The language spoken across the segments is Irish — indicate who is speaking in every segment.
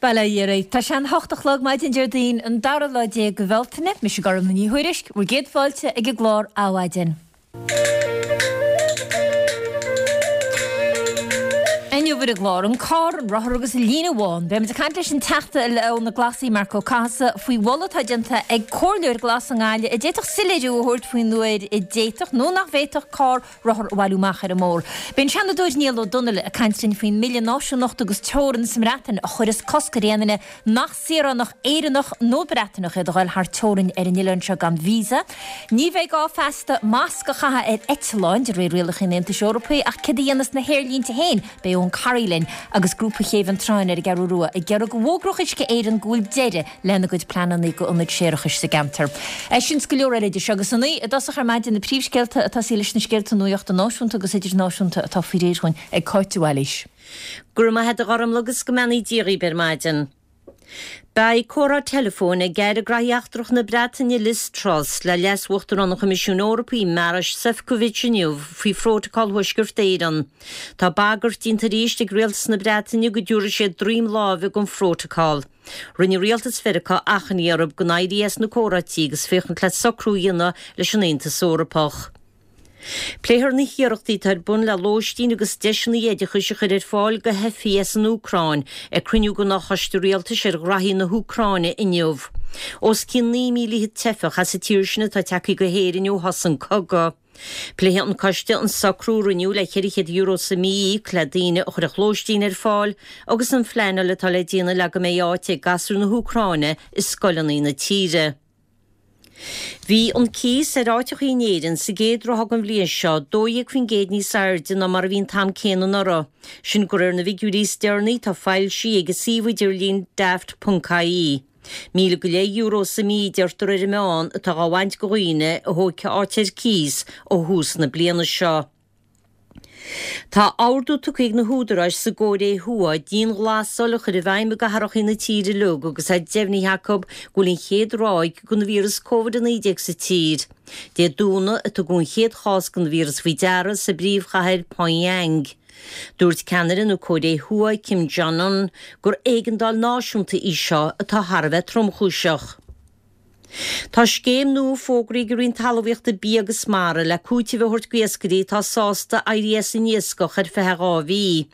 Speaker 1: Bail ó Dhia oraibh. Tá sé an hocht a chlog maidin Déardaoin an dara lá de Bhealtaine. Mise Gormfhlaith Ní Thuairisg, bhur gcéad fáilte ag an gclár Adhmhaidin. Inniu ar an gclár, an carr, an rothar agus an líne bhán. Beimid ag caint leis an Teachta ó na Glasaigh, Marc Ó Cathasaigh, faoi mholadh atá déanta ag Comhairleoir Glas i nGaillimh a d'fhéadfadh soiléiriú a thabhairt faoin uair a d'fhéadfadh nó nach bhféadfadh carr rothar a bhailiú amach ar an mbóthar. Beidh an Seanadóir Niall Ó Donnaile ag caint linn faoin mBille Náisiúnachta agus Teorann sa mBreatain a chuireas cosc ar aon duine nach saoránach Éireannach nó Breataineach iad a ghoil thar teorainn ar an oileán seo gan visa. Ní bheidh gá feasta masc a chaitheamh ar eitleáin de réir rialacha an Aontais Eorpaigh ach céard a dhéanfas na haerlínte féin? Beidh Eoghan Corry linn agus grúpa Chéibh an tSrutháin ar an gCeathrú Rua ag iarraidh go bhfógródh Uisce Éireann go bhfuil deireadh lena gcuid pleananna go ionad séarachais sa gceantar. Sin 's go leor eile idir seo agus a naoi i dtosach ar maidin na príomhscéalta ag tosaí leis na scéalta nuachta náisiúnta agus idirnáisiúnta atá faoi réir dhúinn ag Cáit de Bhailís.
Speaker 2: Go raibh maith a't a Ghormfhlaith agus go mbeannaí Dia dhaoib ar maidin. Beidh comhrá teileafóin ag Aire Graithí Eachtracha na Breataine Liz Truss le Leas-Uachtarán an Choimisiúin Eorpaigh Maroš Šefčovič inniu faoi Phrótacal Thuaisceart Éireann. Tá bagairt déanta arís ag Rialtas na Breataine go dtabharfaidh siad droim láimhe don Phrótacal. Rinne Rialtas Mheiriceá achainí orthu gan éirí as na comhráití agus féachaint le socrú a dhéanamh leis an Aontas Eorpach. Pléifear na hiarrachtaí atá ar bun le lóistín agus deiseanna oideachais a chur ar fáil do theifigh as an Úcráin ag cruinniú den Fhochoiste Rialtais ar Ghraithí na hÚcráine inniu. Os cionn 9,000 teifeach as an tír sin atá tagtha go hÉirinn ó thosaigh an cogadh. Pléifidh an coiste an socrú a rinneadh le €400 sa mí a íoc le daoine a chuirfeadh lóistín ar fáil agus an phleanáil atá le déanamh le go mbeidh áit ag gasúir na hÚcráine i scoileanna na tíre. Bhí an cíos ar áiteachaí in Éirinn sa gcéad ráithe den bhliain seo 12% níos airde ná mar a bhí an t-am céanna anuraidh. Sin de réir na bhfigiúirí is deireanaí atá foilsithe ag an suíomh idirlín Daft.ie. €1,000 go leith sa mí, deirtear ar an meán, atá dhá bhaint de dhaoine a thógfaidh áit ar cíos ó thús na bliana seo. Tá ordú tugtha ag na húdaráis sa gCóiré Thuaidh dianghlasáil a chur i bhfeidhm i gcathracha na tíre uilig agus é deimhnithe acu go bhfuil an chéad ráig den víreas Covid-19 sa tír. Dé Domhnaigh a tugadh an chéad chás den víreas faoi deara sa bpríomhchathair Pyongyang. Dúirt ceannaire na Cóiré Thuaidh Kim Jong-un gur éigeandáil náisiúnta í seo atá thar a bheith tromchúiseach. Tá scéim nua fógraithe ag an Roinn Talmhaíochta, Bia agus Mara le cúiteamh a thabhairt d'iascairí atá sásta éirí as an iascach ar feadh 2 mhí.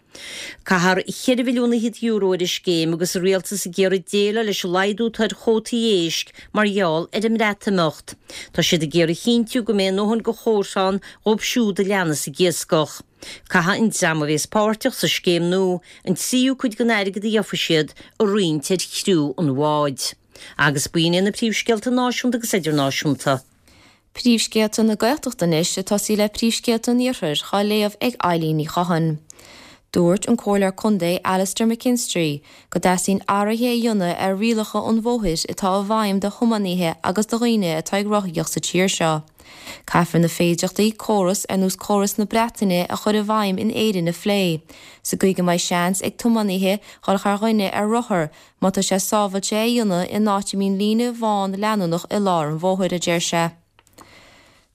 Speaker 2: Caithfear €4 mhilliún ar an scéim agus an Rialtas ag iarraidh déileáil leis an laghdú atá ar chótaí éisc mar gheall ar an mBreatimeacht. Tá siad ag iarraidh a chinntiú go mbeidh a ndóthain de chóta ann dhóibh siúd a leanas ag iascach. Caithfidh an dream a bhéas páirteach sa scéim nua an tríú cuid den airgead a gheofaidh siad a roinnt ar chriú an bháid. Agus b'in iad na príomhscéalta náisiúnta agus idirnáisiúnta.
Speaker 3: Príomhscéalta na Gaeltachta anois ag tosaí le príomhscéalta an Iarthair dhá léamh ag Eilín Ní Chatháin. Dúirt an Comhairleoir Contae Alastair McKinstry go dteastaíonn athruithe a dhéanamh ar rialacha an bhóthair atá i bhfeidhm do thiománaithe agus do dhaoine atá ag rothaíocht sa tír seo. Caithfear na féidearthachtaí córas ar nós córas na Breataine a chur i bhfeidhm in Éirinn a phlé, sa gcaoi go mbeidh seans ag tiománaithe dhul thar dhuine ar rothar Má tá sé sábhailte é a dhéanamh in áit a mbíonn líne bhán leanúnach i lár an bhóthair, a deir sé.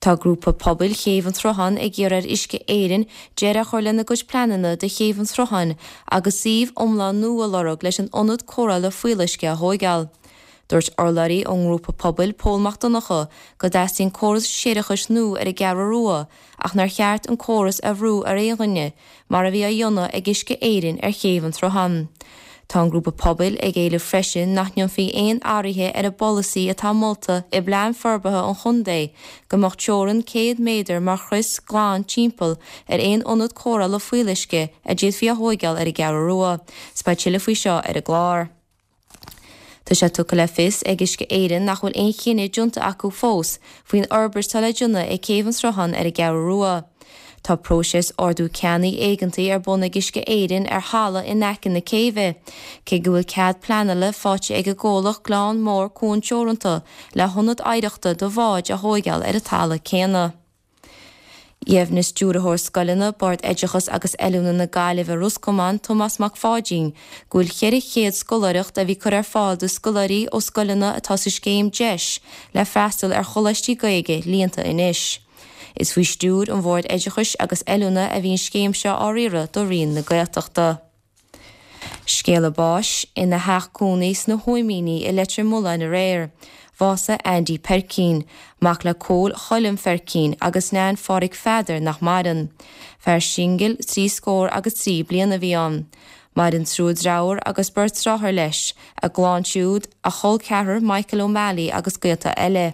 Speaker 3: Tá grúpa pobail Chéibh an tSrutháin ag iarraidh ar Uisce Éireann deireadh a chur lena gcuid pleananna do Chéibh an tSrutháin agus suíomh iomlán nua a lorg leis an ionad cóireála fuíolluisce a thóigeáil. Dúirt urlabhraí ón ngrúpa pobail, Pól Mac Donncha, go dteastaíonn córas séarachais nua ar an gCeathrú Rua ach nár cheart an córas a bhrú ar aon dhuine, mar a bhí á dhéanamh ag Uisce Éireann ar Chéibh an tSrutháin. Tá an grúpa pobail ag éileamh freisin nach ndéanfaí aon athruithe ar an bpolasaí atá molta i bPlean Forbartha an Chontae go mbeadh teorainn 100 méadar mar chrios glan timpeall ar aon ionad cóireála fuíolluisce a d'fhéadfaí a thóigeáil ar an gCeathrú Rua. 'S beidh tuilleadh faoi seo ar an gclár. Tá sé tugtha le fios ag Uisce Éireann nach bhfuil aon chinneadh déanta acu fós faoin fhorbairt atá le déanamh ag Céibh an tSrutháin ar an gCeathrú Rua. Tá próiseas ordú ceannaigh éigeantaigh ar bun ag Uisce Éireann ar thalamh in aice na céibhe, cé go bhfuil cead pleanála faighte ag an gcomhlacht Gleann Mór Cuan Teoranta le hionad oidhreachta do bháid a thóigeáil ar an talamh céanna. Dheimhnigh Stiúrthóir Scoileanna, Bord Oideachais agus Oiliúna na Gaillimhe Ros Comáin, Tomás Mac Pháidín, go bhfuil 400 scoláireacht a bhí curtha ar fáil do scoláirí ó scoileanna atá sa scéim deis le freastal ar choláistí Gaeilge líonta anois. Is faoi stiúir an Bhoird Oideachais agus Oiliúna a bhí an scéim seo á riaradh do Roinn na Gaeltachta. Scéala báis, ina theach cónaí sna hÓimíní i Leitir Mealláin aréir, bhásaigh Andy Peircín, mac le Cóil Choilm Pheircín agus Neain Phádhraic Pheadair nach maireann. Fear singil 33 bliana a bhí ann. Maireann triúr dreabhar agus beirt dreáthair leis, a gclann siúd, a chol ceathrar Michael O'Malley agus gaolta eile.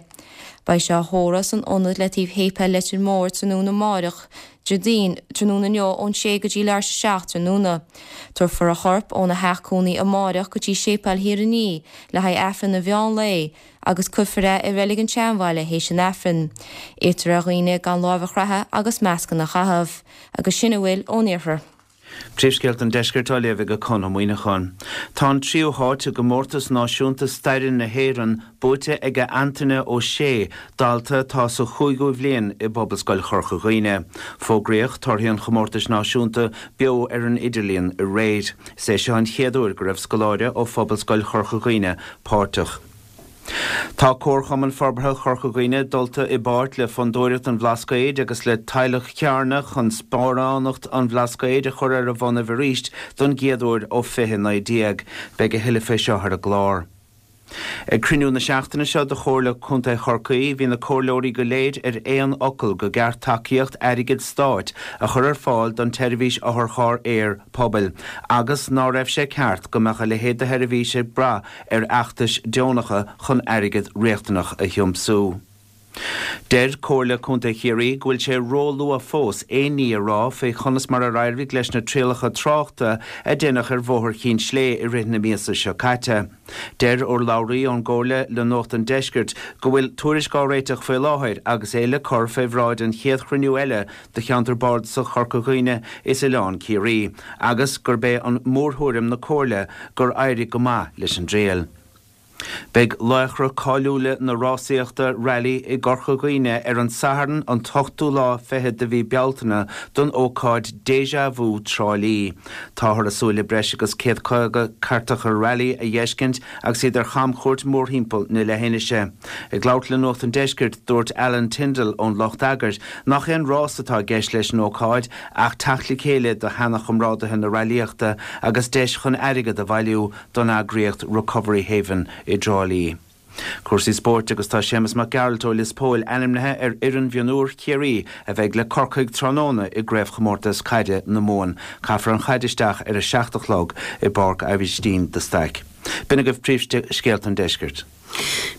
Speaker 3: Beidh sé á thórramh san ionad le taobh Shéipéal Leitir Móir tráthnóna amáireach, Déardaoin, tráthnóna inniu ón sé go dtí leathuair tar éis a 7 tráthnóna. Tabharfar a chorp óna theach cónaí amáireach go dtí Séipéal Thír an Fhia le haghaidh Aifreann an mheán lae agus cuirfear é i Reilig an tSeanbhaile théis an Aifrinn. Iarrtar ar dhaoine gan láimh a chroitheadh agus mascanna a chaitheamh. Agus sin a bhfuil ón Iarthar.
Speaker 4: Príomhscéalta an Deiscirt á léamh ag Conn Ó Muíneacháin. Tá an tríú háit i gComórtas Náisiúnta Staire na hÉireann buaite ag Antaine Ó Sé, dalta atá sa chúigiú bhliain i bPobalscoil Chorca Dhuibhne. Fógraíodh torthaí an chomórtais náisiúnta beo ar an idirlíon aréir. Is é seo an chéad uair go raibh scoláire ó Phobalscoil Chorca Dhuibhne páirteach. Tá Comharchumann Forbartha Chorca Dhuibhne dulta i bpáirt le Fondúireacht an Bhlascaoid agus le Teaghlach Chearna chun Sparánacht an Bhlascaoid a chur ar a bhonnaibh arís don gcéad uair ó 2019. Beidh a thuilleadh fé seo ar an gclár. Ag cruinniú na seachtaine seo de Chomhairle Contae Chorcaí bhí na comhairleoirí go léir ar aon fhocal go gceart tacaíocht airgid stáit a chur ar fáil don tseirbhís otharcharr aeir pobail agus ná raibh sé ceart go mbeadh a leithéid de sheirbhís ag brath ar fheachtais deonacha chun airgead riachtanach a thiomsú. Deir Comhairle Contae Chiarraí go bhfuil sé ró-luath fós aon ní a rá faoi chonas mar ar éirigh leis na trialacha tráchta a deineadh ar Bhóthar Chinn Slé i rith na míosa seo caite. Deir urlabhraí ón gComhairle le Nuacht an Deiscirt go bhfuil tuairisc á réiteach faoi láthair agus é le cur fé bhráid an chéad chruinniú eile do Cheantar Bardasach Chorca Dhuibhne is Oileán Ciarraí agus gurb é an mórthuairim na Comhairle gur éirigh go maith leis an dtriail. Beidh laochra cáiliúla na rásaíochta Rally i gCorca Dhuibhne ar an Satharn an t-ochtú lá fichead de mhí Bealtaine don ócáid Deja Vu Trá Lí. Táthar ag súil le breis agus 150 cairteacha Rally a dh'fheiscint agus iad ar chamchuairt mórthimpeall na leithinise. Ag labhairt le Nuacht an Deiscirt, dúirt Alan Tyndall ón lucht eagair nach aon rás atá i gceist leis an ócáid ach teacht le chéile do sheana-chomrádaithe na railíochta agus deis chun airgead a bhailiú don eagraíocht Recovery Haven i dTrá Lí. Cúrsaí spóirt agus tá Séamus Mac Gearailt ó Lios Póil ainmnithe ar fhoireann mhionúir Chiarraí a bheidh le Corcaigh tráthnóna i gCraobhchomórtas Caide na Mumhan. Caithfear an chaid isteach ar a 7 a chlog i bPáirc Aibhistín de Staic. B'in agaibh príomhscéalta an deiscirt.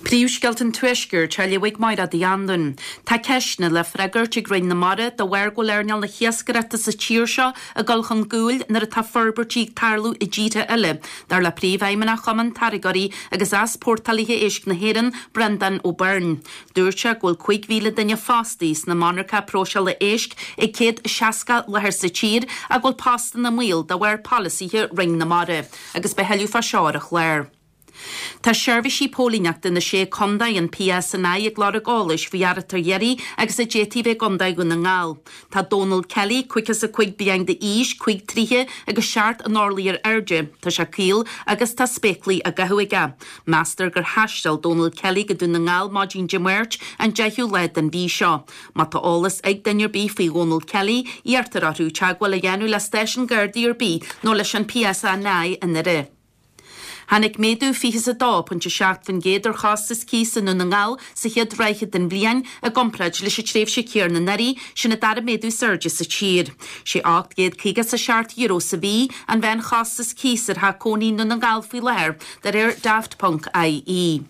Speaker 5: Príomhscéalta an Tuaiscirt á léamh ag Máiréad Uí Anluain. Tá ceisteanna le freagairt ag Roinn na Mara de bharr go bhfuil earnáil na hiascaireachta sa tír seo ag dul chun gcúil nuair atá forbairtí ag tarlú i dtíortha eile, dar le Príomhfheidhmeannach Chumann Táirgeoirí agus Easpórtálaithe Éisc na hÉireann, Breandán Ó Beirn. Dúirt sé go bhfuil 5,000 duine fostaithe sna monarcha próiseála éisc ag 160 láthair sa tír ach go bhfuil postanna i mbaol de bharr polasaithe Roinn na Mara agus beidh a thuilleadh fá seo ar an chlár. Tá seirbhísí póilíneachta na Sé Contae, an PSNI, ag lorg eolais faoi fhear atá ar iarraidh agus a d'fhéadfaí a bheith i gContae Dhún na nGall. Tá Dónal Kelly, 55 bliain d'aois, 5 troithe agus seacht n-orlaí ar airde. Tá sé caol agus tá spéaclaí á gcaitheamh aige. Meastar gur thaisteal Dónal Kelly go Dún na nGall maidin Dé Máirt, an 10ú lá den mhí seo. Má tá eolas ag duine ar bith faoi Dhónal Kelly, iarrtar orthu teagmháil a dhéanamh le stáisiún Gardaí ar bith nó leis an PSNI i nDoire. Tháinig méadú 22.7% ar chostas cíosa i nDún na nGall sa chéad ráithe den bhliain i gcomparáid leis an tréimhse chéanna anuraidh, sin an dara méadú is airde sa tír. Sé €857 sa mhí an mheánchostas cíos ar theach cónaí i nDún na nGall faoi láthair, de réir Daft.ie.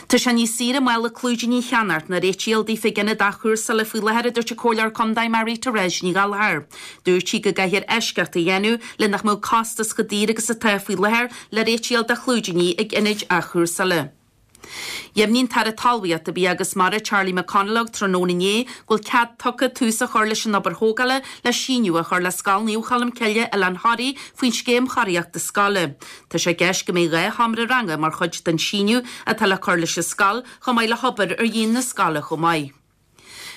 Speaker 5: Tá sé níos saoire mála clúidíní a cheannacht ná réitigh a fháil daofa ag ionad athchúrsála faoi láthair, a dúirt an Comhairleoir Contae Mary Therese Ní Ghallchóir. Dúirt sí go gcaithfear eisceacht a dhéanamh le nach mbeadh costas chomh daor agus atá faoi láthair le réitigh a fháil do chlúidíní ag ionaid athchúrsála. Dheimhnigh an tAire Talmhaíochta, Bia agus Mara Charlie McConalogue tráthnóna inné go bhfuil cead tugtha tús a chur leis an obair thógála le síneadh a chur le Scoil Naomh Cholmcille, Oileán Thoraí faoin Scéim Chóiríochta Scoile. Tá sé i gceist go mbeidh 2 sheomra ranga mar chuid den síneadh atá le cur leis an scoil, chomh maith le hobair ar dhíon na scoile chomh maith.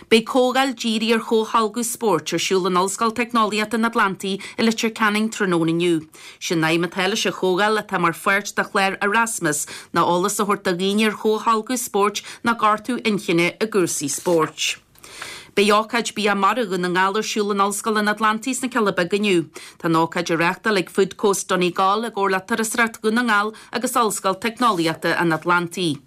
Speaker 5: Beidh comhdháil dírithe ar chomhtholgadh spóirt ar siúl in Ollscoil Teicneolaíochta an Atlantaigh i Leitir Ceanainn tráthnóna inniu. Sé'n aidhm atá leis an chomhdháil, atá mar pháirt de chlár Erasmus, ná eolas a thabhairt do dhaoine ar chomhtholgadh spóirt ná gortú inchinne i gcúrsaí spóirt. Beidh ócáid Bia Mara Dhún na nGall ar siúl in Ollscoil an Atlantaigh sna Cealla Beaga inniu. Tá an ócáid á reáchtáil ag Food Coast Donegal i gcomhar le Turasóireacht Dhún na nGall agus Ollscoil Teicneolaíochta an Atlantaigh.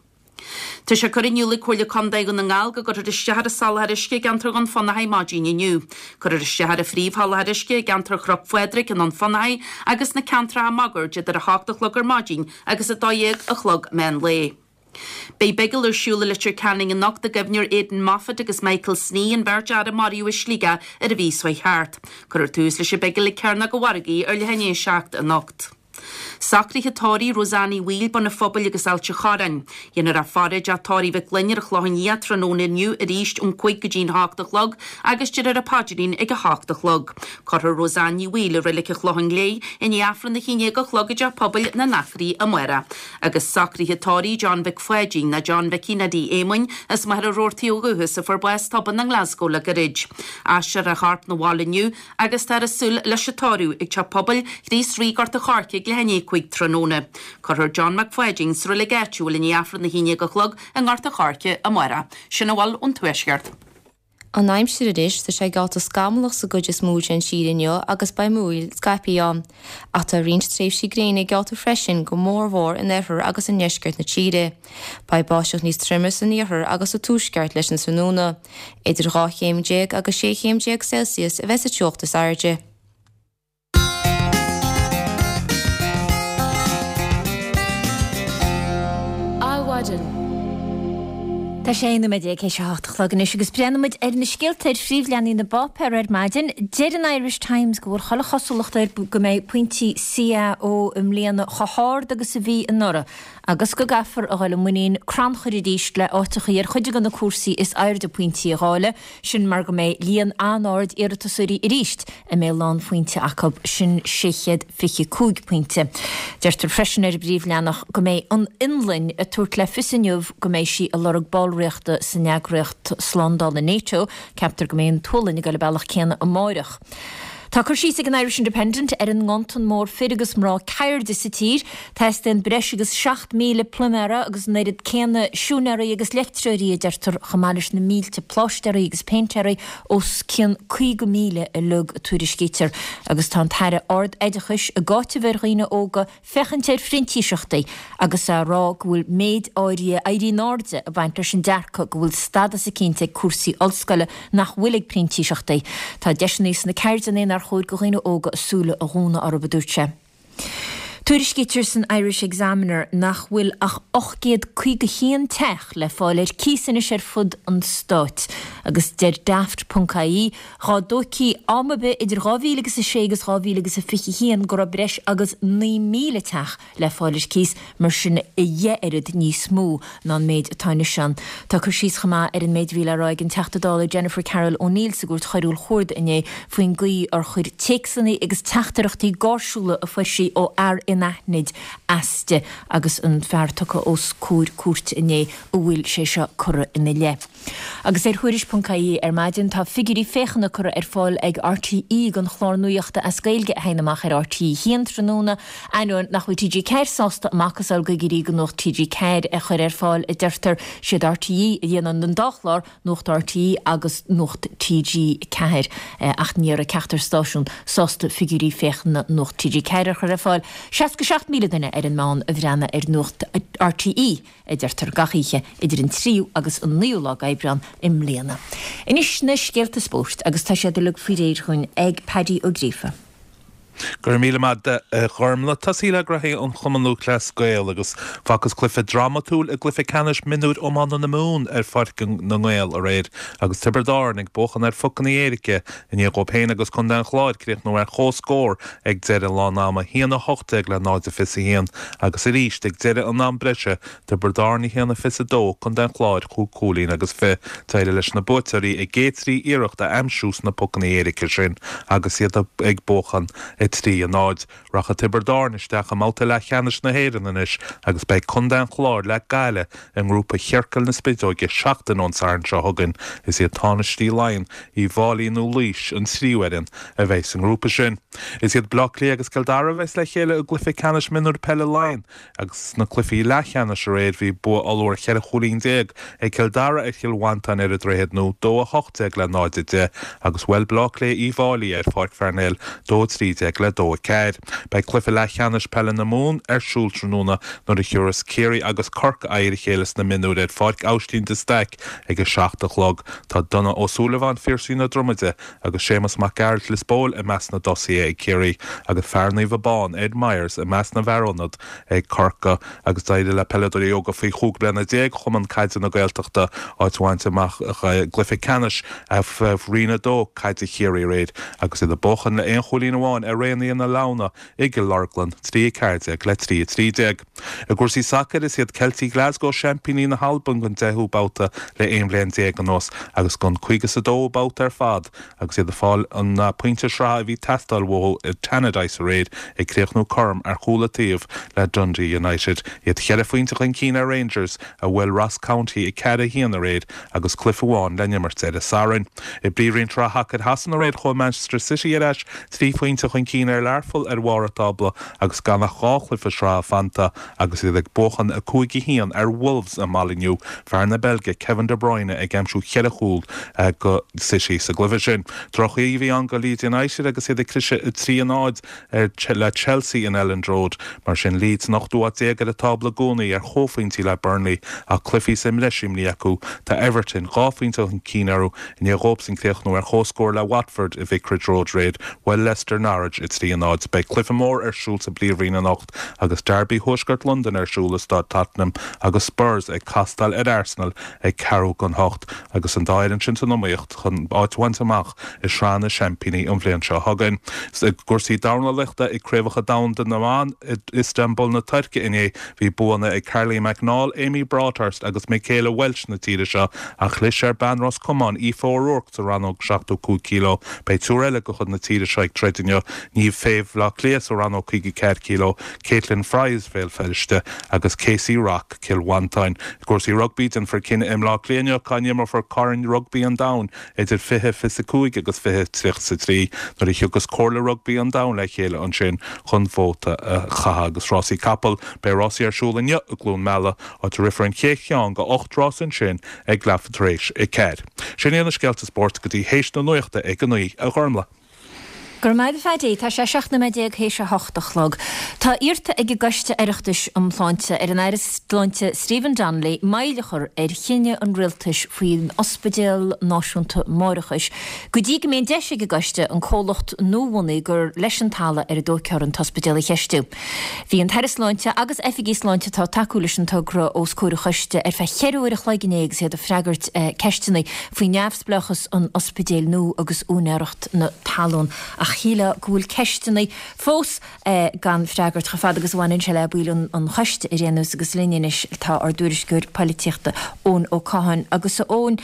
Speaker 5: Tá sé curtha in iúl ag Comhairle Contae Dhún na nGall go gcuirfear isteach ar an soláthar uisce i gceantar Dhún Fionnachaidh maidin inniu. Cuirfear isteach ar an phríomhsholáthar uisce i gceantar Chnoc Phádraig i nDún Fionnachaidh agus sna ceantracha máguaird idir 8 a chlog ar maidin agus 12 a chlog meán lae. Beidh bigil ar siúl i Leitir Ceanainn anocht i gcuimhne ar Aidan Moffitt agus Michael Snee, an bheirt fhear a maraíodh i Sligeach ar an mhí seo thart. Cuirfear tús leis an bigil ag Cearnóg an Mhargaidh ar leath i ndiaidh 7 anocht. Socruithe tórraimh Roseanne Uí Bhaoill, Bun an Phobail agus Ailt an Chorráin. Déanfar í a faire i dteach tórraimh Mhic Fhloinn ar an Chlochán Liath tráthnóna inniu arís ón 5 go dtí'n 8 a chlog agus déarfar an paidrín ag a hocht a chlog. Cuirfear Roseanne Ní Bhaoill i Reilig an Chlocháin Léith i ndiaidh Aifreann a haon déag a chlog i dTeach Pobail na nAcraí amárach. Agus socruithe tórraimh John Mhic Pháidín, nó John Mhicí Neidí Éamoinn, as Machaire Rabhartaigh ó dhúchas, a fuair bás tobann i nGlasgow le gairid. Aistreofar a chorp 'na bhaile inniu agus táthar ag súil leis an tórramh ag Teach Pobail Chríost Rí Gort a' Choirce ag leath i ndiaidh 5 tráthnóna. Cuirfear John Mac Pháidín sa reilig áitiúil i ndiaidh Aifreann 11 a chlog i nGort a' Choirce amárach. Sin a bhfuil ón Tuaisceart.
Speaker 3: An aimsir anois, tá sé geallta scamallach sa gcuid is mó den tír inniu agus beidh múraíl scaipthe ann. Ach tá roinnt tréimhsí gréine geallta freisin, go mórmhór in oirthear agus i ndeisceart na tíre. Beidh báisteach níos troime san iarthar agus sa tuaisceart leis an tráthnóna. Idir 12 chéim agus 16 chéim Celsius a bheas sa teocht is airde.
Speaker 1: Adhmhaidin. Tá sé 11 nóiméad théis a hocht a chlog anois agus breathnóidh muid ar na scéalta ar phríomhleathanaigh na bpáipéar ar maidin. Deir an Irish Times go bhfuil chuile chosúlacht air go mbeidh pointí CAO i mbliana chomh hard agus a bhí anuraidh agus go gcaithfear a dhul i muinín crannchuir arís le áiteachaí ar chuid de na cúrsaí is airde pointí a dháileadh. Sin mar go mbeidh líon an-ard iarratasóirí arís a mbeidh lánphointe acu, sin 625 pointe. Deirtear freisin ar an bpríomhleathanach go mbeidh an Fhionlainn ag tabhairt le fios inniu go mbeidh sí ag lorg ballraíochta san eagraíocht slándála NATO. Ceaptar go mbeidh an tSualainn ag dul an bealach céanna amáireach. Tá cur síos ag an Irish Independent ar an nganntan mór fir agus mná ceirde sa tír. Teastaíonn breis agus 7,000 pluiméara agus an oiread céanna siúinéaraí agus leictreoirí, a deirtear, chomh maith leis na mílte pláistéaraí agus péintéaraí, os cionn 50,000 uilig, a tuairiscítear. Agus tá an tAire Ard-Oideachais ag áiteamh ar dhaoine óga féachaint ar phrintíseachtaí agus á rá go bhfuil méid áirithe éirí in airde ag baint leis an dearcadh go bhfuil stadas eicínt ag cúrsaí ollscoile nach bhfuil ag printíseachtaí. Tá deiseanna sna ceirdeanna nár chóir do dhaoine óga a súile a dhúnadh orthu, a dúirt sé. Tuairiscítear san Irish Examiner nach bhfuil ach 851 teach le fáil ar cíos anois ar fud an stáit agus deir Daft ponc ie Dhá dtóigthí am ar bith idir 2000 agus 6 agus 2000 agus 21 go raibh breis agus 9,000 teach le fáil ar cíos, mar sin a dheich oiread níos mó ná an méid atá anois ann. Tá cur síos chomh maith ar an méid a bhí le rá ag an Teachta Dála Jennifer Carroll O'Neill sa gCúirt Choiriúil Chuarda inné faoin gcaoi ar chuir téacsanna agus teachtaireachtaí gáirsiúla a fuair sí ó fhear anaithnid as di agus an fear tugtha os comhair cúirte inné a bhfuil sé seo curtha ina leith. Agus ar Thuairisc ponc ie ar maidin tá figiúirí féachana curtha ar fáil ag RTÉ don chlár nuachta as Gaeilge a théann amach ar RTÉ 1 tráthnóna, ainneoin nach bhfuil TG4 sásta a macasamhail d'fhigiúirí do Nuacht TG4 a chur ar fáil, a deirtear. Siad RTÉ a dhéanann an dá chlár, Nuacht RTÉ agus Nuacht TG4, ach ní raibh ceachtar stáisiún sásta figiúirí féachana Nuacht TG4 a chur ar fáil. 67,000 duine ar an meán a bhreathnaigh ar Nuacht RTÉ. a deirtear, gach oíche idir an tríú agus an naoú lá d'Aibreán i mbliana. Anois na scéalta spóirt agus tá siad uilig faoi réir dhúinn ag Paddy Ó Gríofa.
Speaker 6: Go raibh míle maith agat a Ghormlaith. Tosaí le graithí an Chumann Lúthchleas Gael agus facthas cluiche drámatúil i gcluiche ceannais mionúir iomána na Mumhan ar Pháirc na nGael aréir agus Tiobraid Árann ag buachan ar phocanna éirice i ndiaidh dóibh féin agus Contae an Chláir críochnú ar comhscór ag deireadh lán ama, 1-18 le 0-21, agus arís ag deireadh an am breise, Tiobraid Árann 1-22, Contae an Chláir chúig chúilín agus fi. D'éirigh leis na buaiteoirí a gcéad 3 iarracht a aimsiú sna pocanna éirice sin agus iad ag buachan. 3, 0. Rachaidh Tiobraid Árann isteach i mbabhta leathcheannais na hÉireann anois agus beidh contae an Chláir le Gaillimh i ngrúpa chiorcal na spideoige seachtain ón Satharn seo chugainn. Is iad Tánaistí Laighean, Uíbh Fhailí nó Laois an tríú fhoireann a bheidh sa ngrúpa sin. Is iad Bleá Cliath agus Cill Dara a bheas le chéile i gcluiche ceannais mionúir peile Laighean Agus sna cluichí leathcheannais aréir bhí bua ollmhór 14 chúilín ag Cill Dara ar Chill Mhantáin ar an Droichead Nua, 2-18 le 0-10, agus bhuail Bleá Cliath Uíbh Fhailí ar Pháirc Pharnell, 2-13 le 2-4. Beidh cluiche leathcheannais peile na Mumhan ar siúl tráthnóna nuair a thiúrfas Ciarraí agus Corcaigh aghaidh ar a chéile sna mionúir ar Pháirc Aibhistín de Staic ag 7 a chlog. Tá Donagh Ó Súilleabháin, Phiarsaigh na Dromaide, agus Séamus Mac Gearailt Lios Póil i measc na dtosaithe ag Ciarraí agus fear Naomh Abán, Ed Myers, i measc na bhfear ionad ag Corcaigh agus d'éirigh le peileadóirí óga faoi 15 bliana Chumann Caide na Gaeltachta áit a bhaint amach i gcluiche ceannais Roinn 2 Caide Chiarraí aréir agus iad ag buachan le aon chúilín amháin ar Raonaithe na Leamhna i gCill Orglan, 3 14 le 3 13. I gcúrsaí sacair, is iad Ceiltigh Glasgow seaimpíní na hAlban don deichiú babhta le 11 bhliain anuas agus don 52ú babhta ar fad agus iad ag fáil an pointe sraithe a bhí ag teastáil uathu i Tannadice aréir ag críochnú cothrom ar chúl an taobh le Dundee United. Iad cheithre phointe chun cinn ar Rangers a bhuail Ross County 4-1 aréir agus cluiche amháin le n-imirt ar an Satharn. I bPríomhroinn Sraith Shacair Shasana aréir chuaigh Manchester City ar ais trí phointe chun cinn ar Learpholl ar bharr an tábla agus gan ach 2 chluiche sraithe fanta agus iad ag buachan 5-1 ar Wolves i Molineux, fear na Beilge Kevin De Bruyne ag aimsiú cheithre chúl do City sa gcluiche sin. Droch-oíche a bhí ann do Leeds United agus iad ag cliseadh 3-0 ar le Chelsea in Elland Road. Mar sin Leeds san ochtú háit déag ar an tábla i gcónaí ar chomhphointí le Burnley ach cluichí sa mbreis imrithe acu. Tá Everton dhá phointe chun cinn orthu I ndiaidh dhóibhsan críochnú ar chomhscór le Watford i Vicarage Road aréir, bhuail Leicester Norwich 3-0. Beidh cluiche mór ar siúl sa bPríomhroinn anocht agus Derby Thuaisceart Londan ar siúl i Staid Tottenham agus Spurs ag castáil ar Arsenal ag ceathrú don hocht agus an dá fhoireann sin san iomaíocht chun áit a bhaint amach i Sraith na Seaimpíní an bhliain seo chugainn. I gcúrsaí dornálaíochta ag Craobhacha Domhanda na mBan i Istanbul na Tuirce inné, Bhí buanna ag Carly McNaul, Amy Broadhurst agus Michaela Welch na tíre seo ach chlis ar bean Ros Comáin, Aoife O'Rourke sa rannóg 75 kg. Beidh triúr eile de chuid na tíre seo ag troid inniu, Niamh Fay Bhaile Átha Cliath sa rannóg 54 kg, Caitlin Fryers Bhéal Feirste agus Casey Rock Cill Mhantáin. I gcúrsaí rugbaí, déanfar cinneadh i mBleá Cliath inniu cá n-imreofar Corn Rugbaí an Domhain idir 2025 agus 2033 nuair a thiocfas Comhairle Rugbaí an Domhain le chéile ansin chun vóta a chaitheamh. Agus rásaí capall, beidh rásaí ar siúl inniu i gCluain Meala, áit a rithfear an chéad cheann de 8 rás ansin ag leathuair tar éis a 4. Sin iad na scéalta spóirt go dtí théis na nuachta ag a 9, a Ghormlaith.
Speaker 1: Go raibh maith agat a Phaddy. Tá sé 17 nóiméad théis a hocht a chlog. Tá iarrta ag an gCoiste Oireachtais um Shláinte ar an Aire Sláinte Stephen Donnelly moill a chur ar chinneadh an Rialtais faoin Ospidéal Náisiúnta Máithreachais go dtí go mbeidh an deis ag an gcoiste an comhlacht nuabhunaithe gur leis an talamh ar a dtógfar an t-ospidéal a cheistiú. Bhí an tAire Sláinte agus oifigigh sláinte atá ag tacú leis an togra os comhair an choiste ar feadh cheithre uair a chloig inné agus iad ag freagairt ceisteanna faoi neamhspleáchas an ospidéil nua agus úinéireacht na talún. Ach shílfeá go bhfuil ceisteanna fós gan freagairt chomh fada agus a bhaineann sé le baill an choiste ar aon nós agus linn anois tá ár dtuairisceoir poilitíochta Eoin Ó Catháin. Agus a Eoin,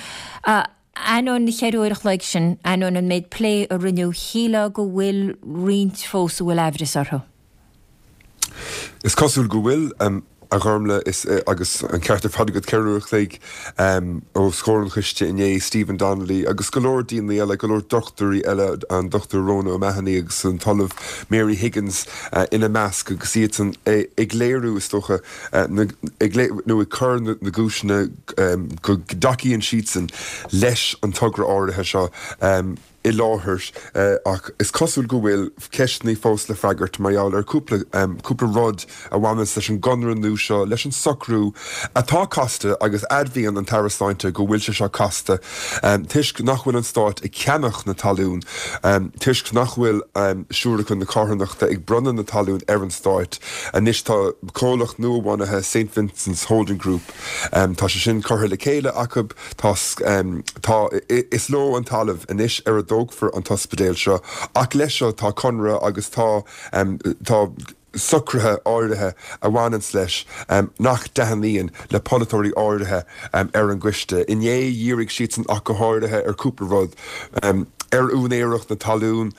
Speaker 1: ainneoin na cheithre uair a chloig sin, ainneoin an méid plé a rinneadh, shílfeá go bhfuil roinnt fós a bhfuil aimhreas orthu.
Speaker 7: Is cosúil go bhfuil, a Ghormlaith, is agus an ceart ar fad agat, 4 uair a chloig os comhair an choiste inné, Stephen Donnelly agus go leor daoine eile, go leor dochtúirí eile, an Dr Rhona O'Mahony agus an tOllamh Mary Higgins ina measc agus iadsan ag léiriú, is dócha, nó ag cur na gcúiseanna go dtacaíonn siadsan leis an togra áirithe seo. i láthair ach is cosúil go bhfuil ceisteanna fós le freagairt mar gheall ar cúpla cúpla rud a bhaineas leis an gconradh nua seo, leis an socrú atá casta agus admhaíonn an tAire Sláinte go bhfuil sé seo casta toisc nach bhfuil an Stát ag ceannach na talún, toisc nach bhfuil Siúracha na Carthanachta ag bronnadh na talún ar an Stát. Anois tá comhlacht nua-bhunaithe St Vincent's Holding Group, tá sé sin curtha le chéile acu, Tá, tá, is leo an talamh anois ar a dtógfar an t-ospidéal seo ach leis seo tá conradh agus tá, tá. Socruithe áirithe a bhaineanns leis nach dtaitníonn le polaiteoirí áirithe ar an gcoiste. Inné dhírigh siadsan ach go háirithe ar cúpla rud. Ar úinéireacht na talún,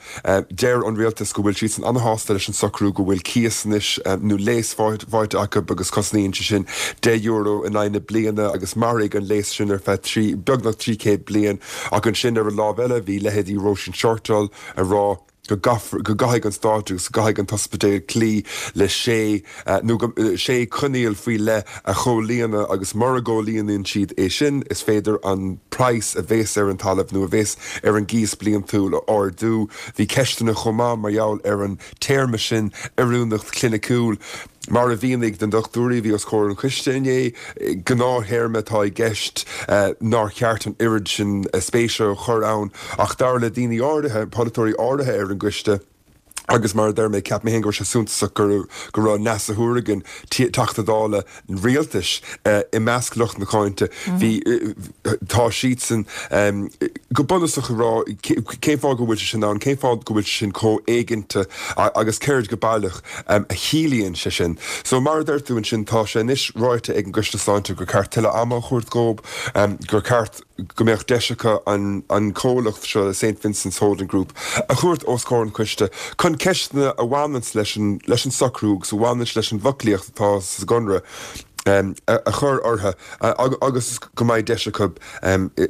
Speaker 7: deir an rialtas go bhfuil siadsan ana-shásta leis an socrú go bhfuil cíos anois nó léas faighte acu agus cosnaíonn sé sin €10 in aghaidh na bliana agus mairfidh an léas sin ar feadh trí, beagnach 300 bliain. Ach ansin ar an lámh eile bhí leithéidí Róisín Shortall ag rá, go gcaithfidh an Stát agus go gcaithfidh an t-ospidéal cloí le sé nó go sé coinníoll faoi leith a chomhlíonadh agus mura gcomhlíonann siad é sin is féidir an praghas a bhéas ar an talamh nó a bhéas ar an gcíos bliantúil a ardú. Bhí ceisteanna chomh maith mar gheall ar an téarma sin oiriúnacht chliniciúil. Mar a mhínigh na dochtúirí a bhí os comhair an choiste inné, gnáth-théarma atá i gceist nár cheart an oiread sin spéise a chur ann ach dar le daoine áirithe, polaiteoirí áirithe ar an gcoiste, agus mar a deir mé, cheap mé féin go raibh sé suntasach go raibh Neasa Hourigan, Teachta Dála rialtais, i measc lucht na cáinte, bhí, tá siadsan go bunúsach ag rá cén fáth go bhfuil sé sin ann, cén fáth go bhfuil sé sin chomh éiginnte agus céard go baileach a chiallaíonn sé sin. So mar a deir tú ansin, tá sé anois ráite ag an gCoiste Sláinte gur ceart tuilleadh ama a thabhairt dhób, gur ceart go mbeadh deis acu an comhlacht seo, Saint Vincent's Holding Group, a thabhairt os comhair an choiste chun ceisteanna a bhaineanns leis an socrú agus a bhaineanns leis an bhfoclaíocht atá sa gconradh a chur orthu agus go mbeidh deis acu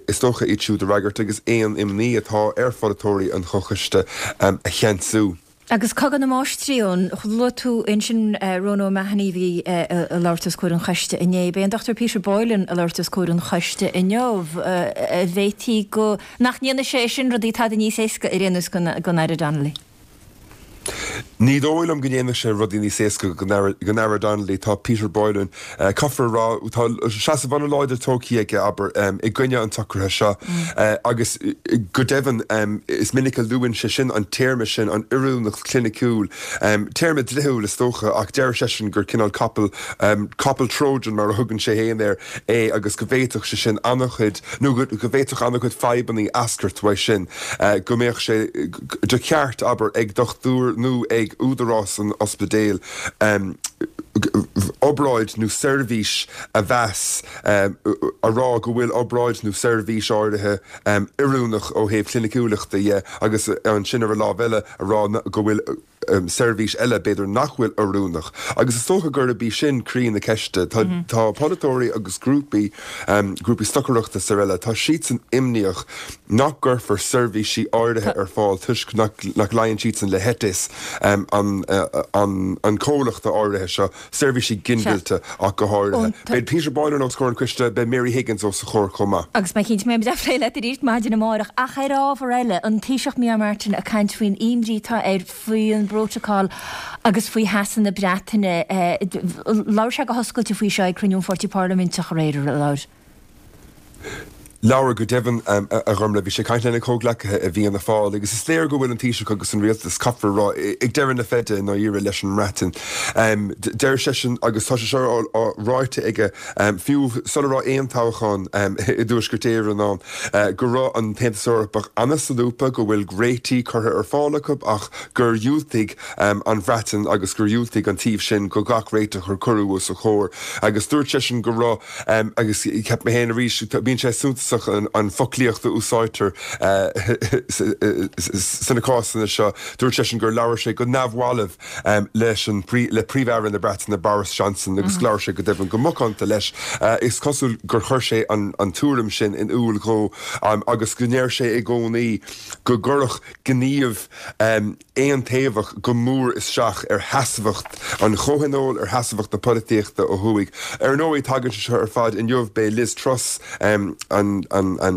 Speaker 7: is dócha iad siúd a fhreagairt agus aon imní atá ar pholaiteoirí an chomhchoiste a cheansú.
Speaker 1: Agus cogadh na máistrí ann. Luaigh tú ansin Ronan O'Mahony a bhí ag labhairt os comhair an choiste inné. Beidh an Dr Peter Boylan ag labhairt os comhair an choiste inniu. An bhféadfaí go nach ndéanfaidh sé sin rudaí tada níos éasca ar aon nós don Aire Donnelly?
Speaker 7: Ní dóigh liom go ndéanfaidh sé rudaí níos éasca don Aire Donnelly. Tá Peter Boylan, caithfear a rá, tá seasamh an-láidir tógtha aige, abair, i gcoinne an tsocraithe seo agus go deimhin is minic a luann sé sin an téarma sin, an oiriúnacht chliniciúil, téarma dlíthiúil is dócha ach deir seisean gur cineál capall, capall Trojan mar a thugann sé féin air, é agus go bhféadfadh sé sin an-chuid, nó go bhféadfadh an-chuid fadhbanna eascairt uaidh sin, go mbeadh sé de cheart, abair, ag dochtúir nó ag údarás an ospidéil obráid nó seirbhís a mheas, a rá go bhfuil obráid nó seirbhís áirithe oiriúnach ó thaobh cliniciúlachta dhe agus ansin ar an lámh eile a rá go bhfuil. seirbhís eile, b'fhéidir, nach bhfuil oiriúnach. Agus is dócha gurb í sin croí na ceiste. Tá tá polaiteoirí agus grúpaí, grúpaí stocaireachta is araile, tá siadsan imníoch nach gcuirfear seirbhísí áirithe ar fáil toisc nach nach luíonn siadsan le heiteas an an an chomhlachta áirithe seo. Seirbhísí ginmhillte ach go háirithe. Beidh Peter Boylan os comhair an choiste, beidh Mary Higgins os a chomhair chomh maith.
Speaker 1: Agus mé cinnte go mbeimid á phlé leat arís maidin amárach. Ach ar ábhar eile, an Taoiseach Micheál Martin ag caint faoin imní atá air faoin bprótacal agus faoi sheasamh na Breataine. Labhair sé go hoscailte faoi seo ag cruinniú an Pháirtí Parlaiminteach aréir, ar labhair?
Speaker 7: Labhair, go deimhin, a Ghormlaith. Bhí sé ag caint lena chomhghleacaithe i bhFianna Fáil agus is léir go bhfuil an Taoiseach agus an Rialtas, caithfear a rá, ag deireadh na feide i ndáiríre leis an mBreatain. Deir seisean, agus tá sé seo ráite aige fiú sula raibh aon toghchán i dTuaisceart Éireann ann, go raibh an tAontas Eorpach an-solúbtha, go bhfuil réitigh curtha ar fáil acu ach gur dhiúltaigh an Bhreatain agus gur dhiúltaigh an taobh sin do gach réiteach a cuireadh os a chomhair. Agus dúirt seisean go raibh. Agus cheap mé féin arís, bíonn sé suntasach an foclaíocht a úsáidtear sna cásanna seo. Dúirt seisean gur labhair sé go neamhbhalbh leis an, le Príomh-Aire na Breataine, Boris Johnson, agus labhair sé go deimhin go macánta leis. Is cosúil gur chuir sé an tuairim sin in iúl dhó agus go ndeir sé i gcónaí go gcuirfeadh gníomh aontaobhach go mór isteach ar sheasmhacht an Chomhthionóil, ar sheasmhacht na polaitíochta ó thuaidh. Ar ndóigh, tagann sé seo ar fad inniu, beidh Liz Truss, an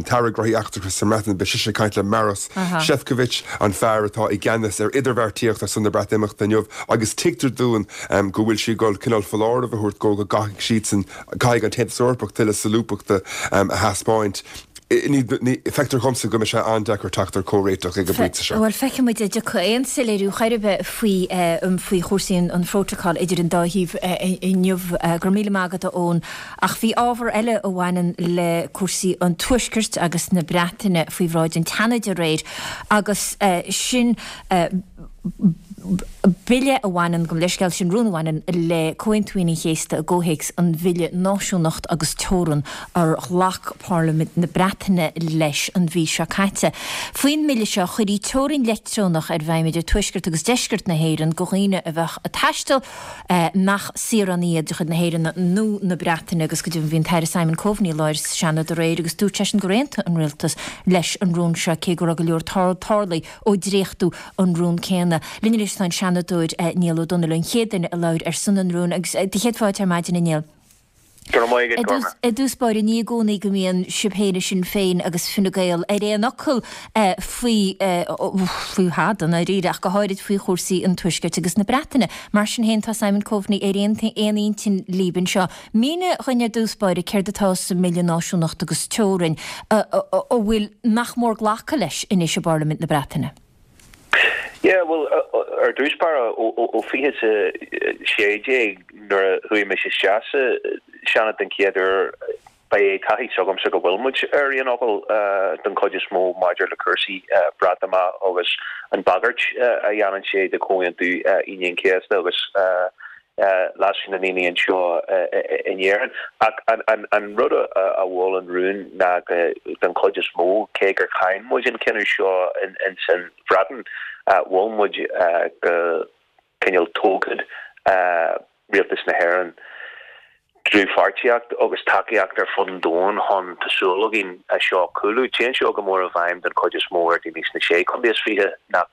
Speaker 7: tAire Gnóthaí Eachtracha sa mBreatain, beidh sise ag caint le Maros Sefcovic, an fear atá i gceannas ar idirbheartaíocht ar son na Breatimeachta inniu, agus tuigtear dúinn go bhfuil sí ag dul cineál foláireamh a thabhairt dhó go gcaithfidh siadsan, caithfidh an tAontas Eorpach tuilleadh solúbthachta a thaispeáint. Feictear dhomsa go mbeidh sé an-deacair teacht ar comhréiteach ag an bpointe seo.
Speaker 1: Bhuel, feicfidh muid an dtiocfaidh aon soiléiriú chor ar bith faoi faoi chúrsaí an phrótacail idir an dá thaobh inniu. Go raibh míle maith agat, a Eoin. Ach bhí ábhar eile a bhaineann le cúrsaí an Tuaiscirt agus na Breataine faoi bhráid an tSeanaid aréir agus sin. Bille a bhaineann, gabh mo leithscéal, sin rún a bhaineann le Comhaontú Aoine an Chéasta i gcomhthéacs an Bhille Náisiúnacht agus Teorann ar ghlac Parlaimint na Breataine leis an mhí seo caite. Faoin mbille seo, chuirfí teorainn leictreonach ar bhfeidhm idir tuaisceart agus deisceart na hÉireann do dhaoine a bheadh ag taisteal nach saoránaigh iad de chuid na hÉireann nó na Breataine agus go deimhin bhí an tAire Simon Coveney i láthair sa Seanad aréir agus dúirt seisean gur aontaigh an Rialtas leis an rún seo cé go raibh go leor tarlaithe ó dréachtú an rún céanna. Linn anois tá an Seanadóir Niall Ó Donnaile, an chéad duine a labhair ar son an rúin agus do chéad fáilte ar maidin a Niall.
Speaker 8: Go raibh maith agat, Gorma.
Speaker 1: I dtús báire, ní i gcónaí go mbíonn sibh féin i Sinn Féin agus Fine Gael ar aon fhocal faoi, faoi thada i ndáiríre, ach go háirid faoi chúrsaí an Tuaiscirt agus na Breataine. Mar sin féin, tá Simon Coveney ar aon aon intinn libh anseo. Mínigh dhuinn ar dtús báire céard atá sa mBille Náisiúnacht agus Teorainn a bhfuil nach mór glactha leis anois i bParlaimint na Breataine.
Speaker 8: Yeah, bhuel, ar dtús báire, ó 2016 nuair a chuaigh mise isteach sa Seanad den chéad uair, ba é taithí s'agamsa go bhfuil muid ar aon fhocal den chuid is mó maidir le cúrsaí Breatimeachta agus an bhagairt a dhéanann sé de Chomhaontú Aoine an Chéasta agus leasú na ndaoine anseo in Éirinn. Ach an rud a mhol an rún ná go, den chuid is mó, cé gur cháin muid an cinneadh seo ins an Bhreatain, mhol muid go cineál tógfadh Rialtas na hÉireann dlúthpháirtíocht agus tacaíocht ar fud an domhain chun, tá súil againn, é seo a chúlú. Téann seo go mór i bhfeidhm den chuid is mó ar daoine sna Sé Chontae is 20 nach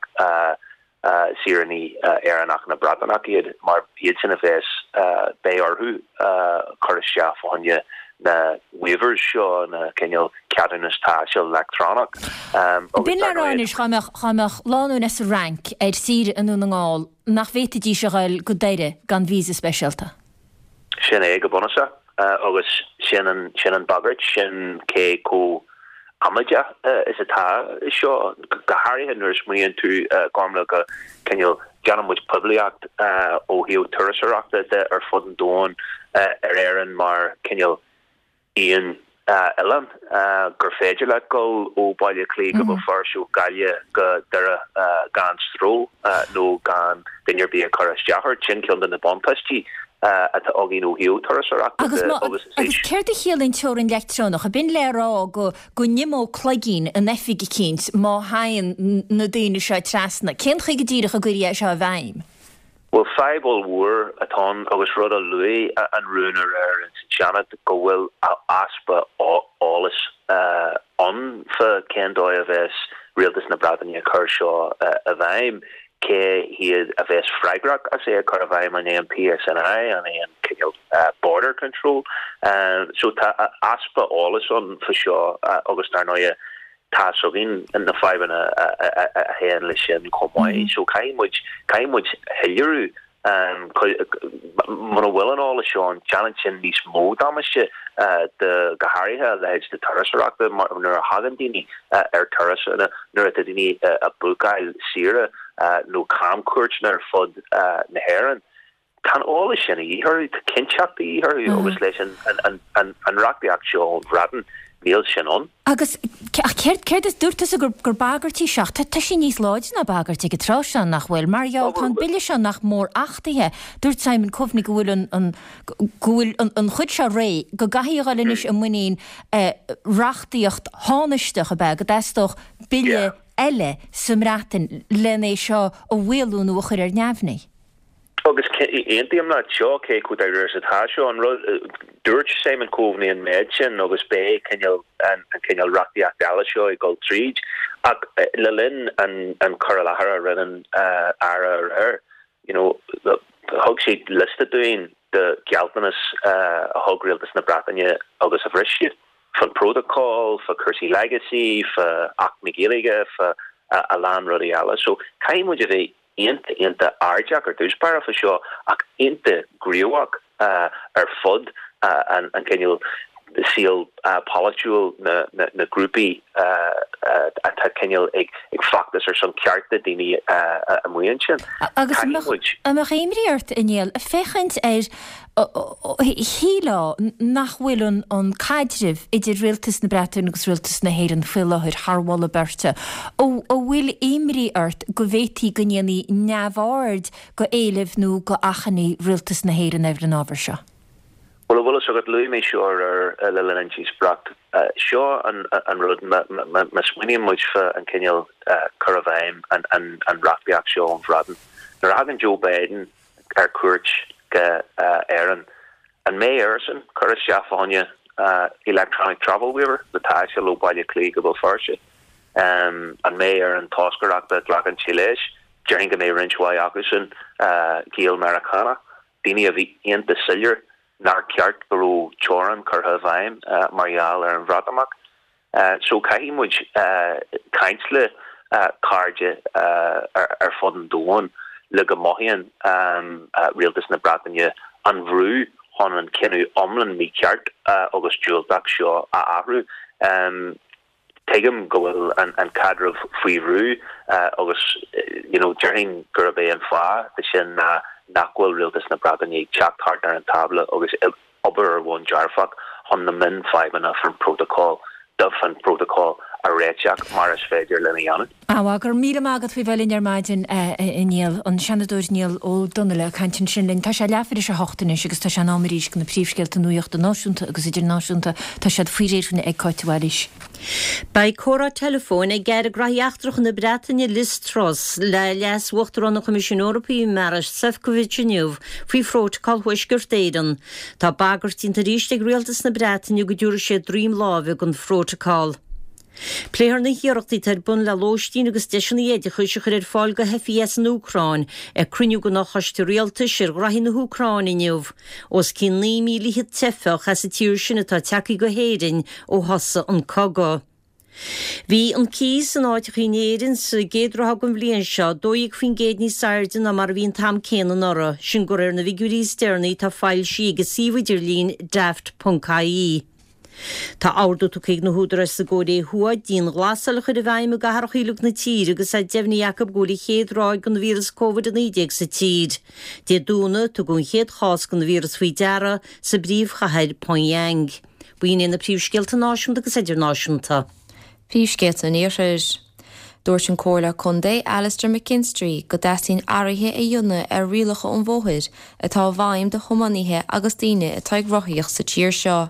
Speaker 8: saoránaigh Éireannach ná Breataineach iad, mar iadsan a bheas, beidh orthu cur isteach fá choinne na waivers seo, na cineál ceadúnas taistil leictreonach.
Speaker 1: Agus B'in le rá anois, dá mbeadh, dá mbeadh lánúin as an Fhrainc ar saoire i nDún na nGall, nach bhféadfaidís a ghoil go Doire gan visa speisialta?
Speaker 8: Sin é go bunúsach agus sin an, sin an bhagairt, sin cé chomh amaideach is atá seo, go háirithe nuair a smaoiníonn tú, Gormlaith, go cineál, déanann muid poiblíocht ó thaobh turasóireachta de ar fud an domhain ar Éirinn mar cineál aon oileán gur féidir leat dul ó Bhaile Átha Cliath go Béal Feirste, ó Ghaillimh go Doire gan stró nó gan duine ar bith ag cur isteach ort. Sin ceann de na buntáistí atá againn ó thaobh turasóireachta
Speaker 1: de agus is Agus céard a chiallaíonn teorainn leictreonach? Ab in le rá go go n-imeodh cloigín in oifig eicínt má thagann na daoine seo trasna? Cén chaoi go díreach a gcuirfí é seo i bhfeidhm?
Speaker 8: Bhuel, fadhb ollmhór atá ann agus rud a luaigh an rún aréir ins an Seanad go bhfuil easpa eolais ann fá cén dóigh a bheas Rialtas na Breataine ag cur seo i bhfeidhm, cé hiad a bheas freagrach as é a chur i bhfeidhm, an é an PSNI, an é an cineál Border Control. So tá easpa eolais ann fá seo agus dar ndóighe tá's againn na fadhbanna a théann leis sin chomh maith. So caithfidh muid, caithfidh muid shoiléiriú, muna bhfuil an eolas seo ann, déanann sin níos mó damáiste do, go háirithe a leithéid de turasóireachta mar nuair a thagann daoine ar turas, nuair atá daoine ag bookáil saoire nó camchuairteanna ar fud na hÉireann. Tá an eolas sin a dhíth orthu, tá cinnteacht a dhíth orthu agus leis an reachtaíocht seo ón Bhreatain, níl sin ann.
Speaker 1: Agus, ach céard, céard is, dúirt tusa gur, gur bagairt í seo, ach tá, tá sí níos láidre ná bagairt ag an tráth seo, nach bhfuil? Mar gheall, tá an bille seo nach mór achtaithe. Dúirt Simon Coveney go bhfuil an, an, go bhfuil an, an chuid seo réidh, go gcaithfidh a dhul anois i muinín reachtaíocht thánaisteach, ab ea, go dteastódh bille eile sa mBreatain len é seo a mhaolú nó a chur ar neamhní.
Speaker 8: Agus aontaím leat, seo cé chomh dáiríre is atá seo. An rud, dúirt Simon Coveney an méid sin agus beidh cineál, an cineál reachtaíocht eile seo ag dul tríd. Ach le linn an cur i láthair a rinne an Aire aréir, you know, thug sé liosta dúinn de ghealltanas a thug Rialtas na Breataine agus a bhris siad. Fán Protocol, fá chúrsaí legacy, fá Acht na Gaeilge, fá a lán rudaí eile. So caithfidh muid a bheith iontach, iontach airdeach ar dtús báire fá seo ach iontach gníomhach ar fud an cineál. saol polaitiúil na grúpaí atá cineál ag feachtas ar son cearta daoine amuigh ansin.
Speaker 1: Agus an mbeadh imní ort, a Néill, féachaint ar, shílfeá nach bhfuil an caidreamh idir Rialtas na Breataine agus Rialtas na hÉireann faoi láthair thar mholadh beirte. An bhfuil imní ort go bhféadfaí go ndéanfaí neamhaird go éilimh nó go achainí Rialtas na hÉireann ar an ábhar seo?
Speaker 8: Bhuel, an bhfuil fhios agat, luaigh mé seo aréir le linn an díospóireacht. Seo an rud, má smaoiníonn muid fá an cineál cur i bhfeidhm an reachtaíocht seo ón Bhreatain, nuair a thagann Joe Biden ar cuairt go Éirinn, an mbeidh airsean cur isteach fá choinne electronic travel waiver le taisteal ó Baile Átha Cliath go Béal Feirste? An mbeidh ar an toscaireacht a ghlacann sé leis? Déarfainn go mbeidh roinnt mhaith acusan Gael-Meiriceánach. daoine a bhí iontach soiléir nár cheart go raibh teorainn curtha i bhfeidhm mar gheall ar an Bhreatimeacht. So caithfidh muid caint le cairde ar fud an domhain le go mothaíonn rialtas na Breataine an bhrú chun an cinneadh iomlán mícheart agus diúltach seo a athrú. Tuigim go bhfuil an caidreamh faoi bhrú agus you know déarfainn gurb é an fáth de sin ná nach bhfuil rialtas na Breataine ag teacht thart ar an tábla agus obair ar bhonn dearfach chun na mionfhadhbanna faoin prótacal faoin prótacal a réiteach mar is féidir linn a dhéanamh.
Speaker 1: Á, go raibh míle maith agat faoi bheith linn ar maidin, a Niall. An Seanadóir Niall Ó Donnaile ag caint ansin linn. Tá sé leathuair tar éis a hocht anois agus tá sé in am arís do na príomhscéalta nuachta náisiúnta agus idirnáisiúnta. Tá siad faoi réir againne ag Cáit de Bhailís.
Speaker 2: Beidh comhrá teileafóin ag Aire Graithí Eachtracha na Breataine Liz Truss le Leas-Uachtarán an Choimisiúin Eorpaigh Maros Sefcovic inniu faoi Phrótacal Thuaisceart Éireann. Tá bagairt déanta arís ag Rialtas na Breataine go dtabharfaidh siad droim láimhe don Phrótacal. Pléifear na hiarrachtaí atá ar bun le lóistín agus deiseanna oideachais a chur ar fáil do theifigh as an Úcráin ag cruinniú den Fhochoiste Rialtais ar Ghraithí na hÚcráine inniu. Os cionn 9,000 teifeach as an tír sin atá tagtha go hÉirinn ó thosaigh an cogadh. Bhí an cíos in áiteachaí in Éirinn sa gcéad ráithe den bhliain seo 12% níos airde ná mar a bhí an t-am céanna anuraidh, sin de réir na bhfigiúirí is deireanaí atá foilsithe ag an suíomh idirlín Daft.ie. Tá ordú tugtha ag na húdaráis sa gCóiré Thuaidh dianghlasáil a chur i bhfeidhm i gcathracha uilig na tíre agus é deimhnithe acu go bhfuil an chéad ráig den víreas Covid-19 sa tír. Dé Domhnaigh, tugadh an chéad chás den víreas faoi deara sa bpríomhchathair Pyongyang. B'in iad na príomhscéalta náisiúnta agus idirnáisiúnta.
Speaker 3: Príomhscéalta an Iarthair. Dúirt an Comhairleoir Contae Alastair McKinstry go dteastaíonn athruithe a dhéanamh ar rialacha an bhóthair atá i bhfeidhm do thiománaithe agus daoine atá ag rothaíocht sa tír seo.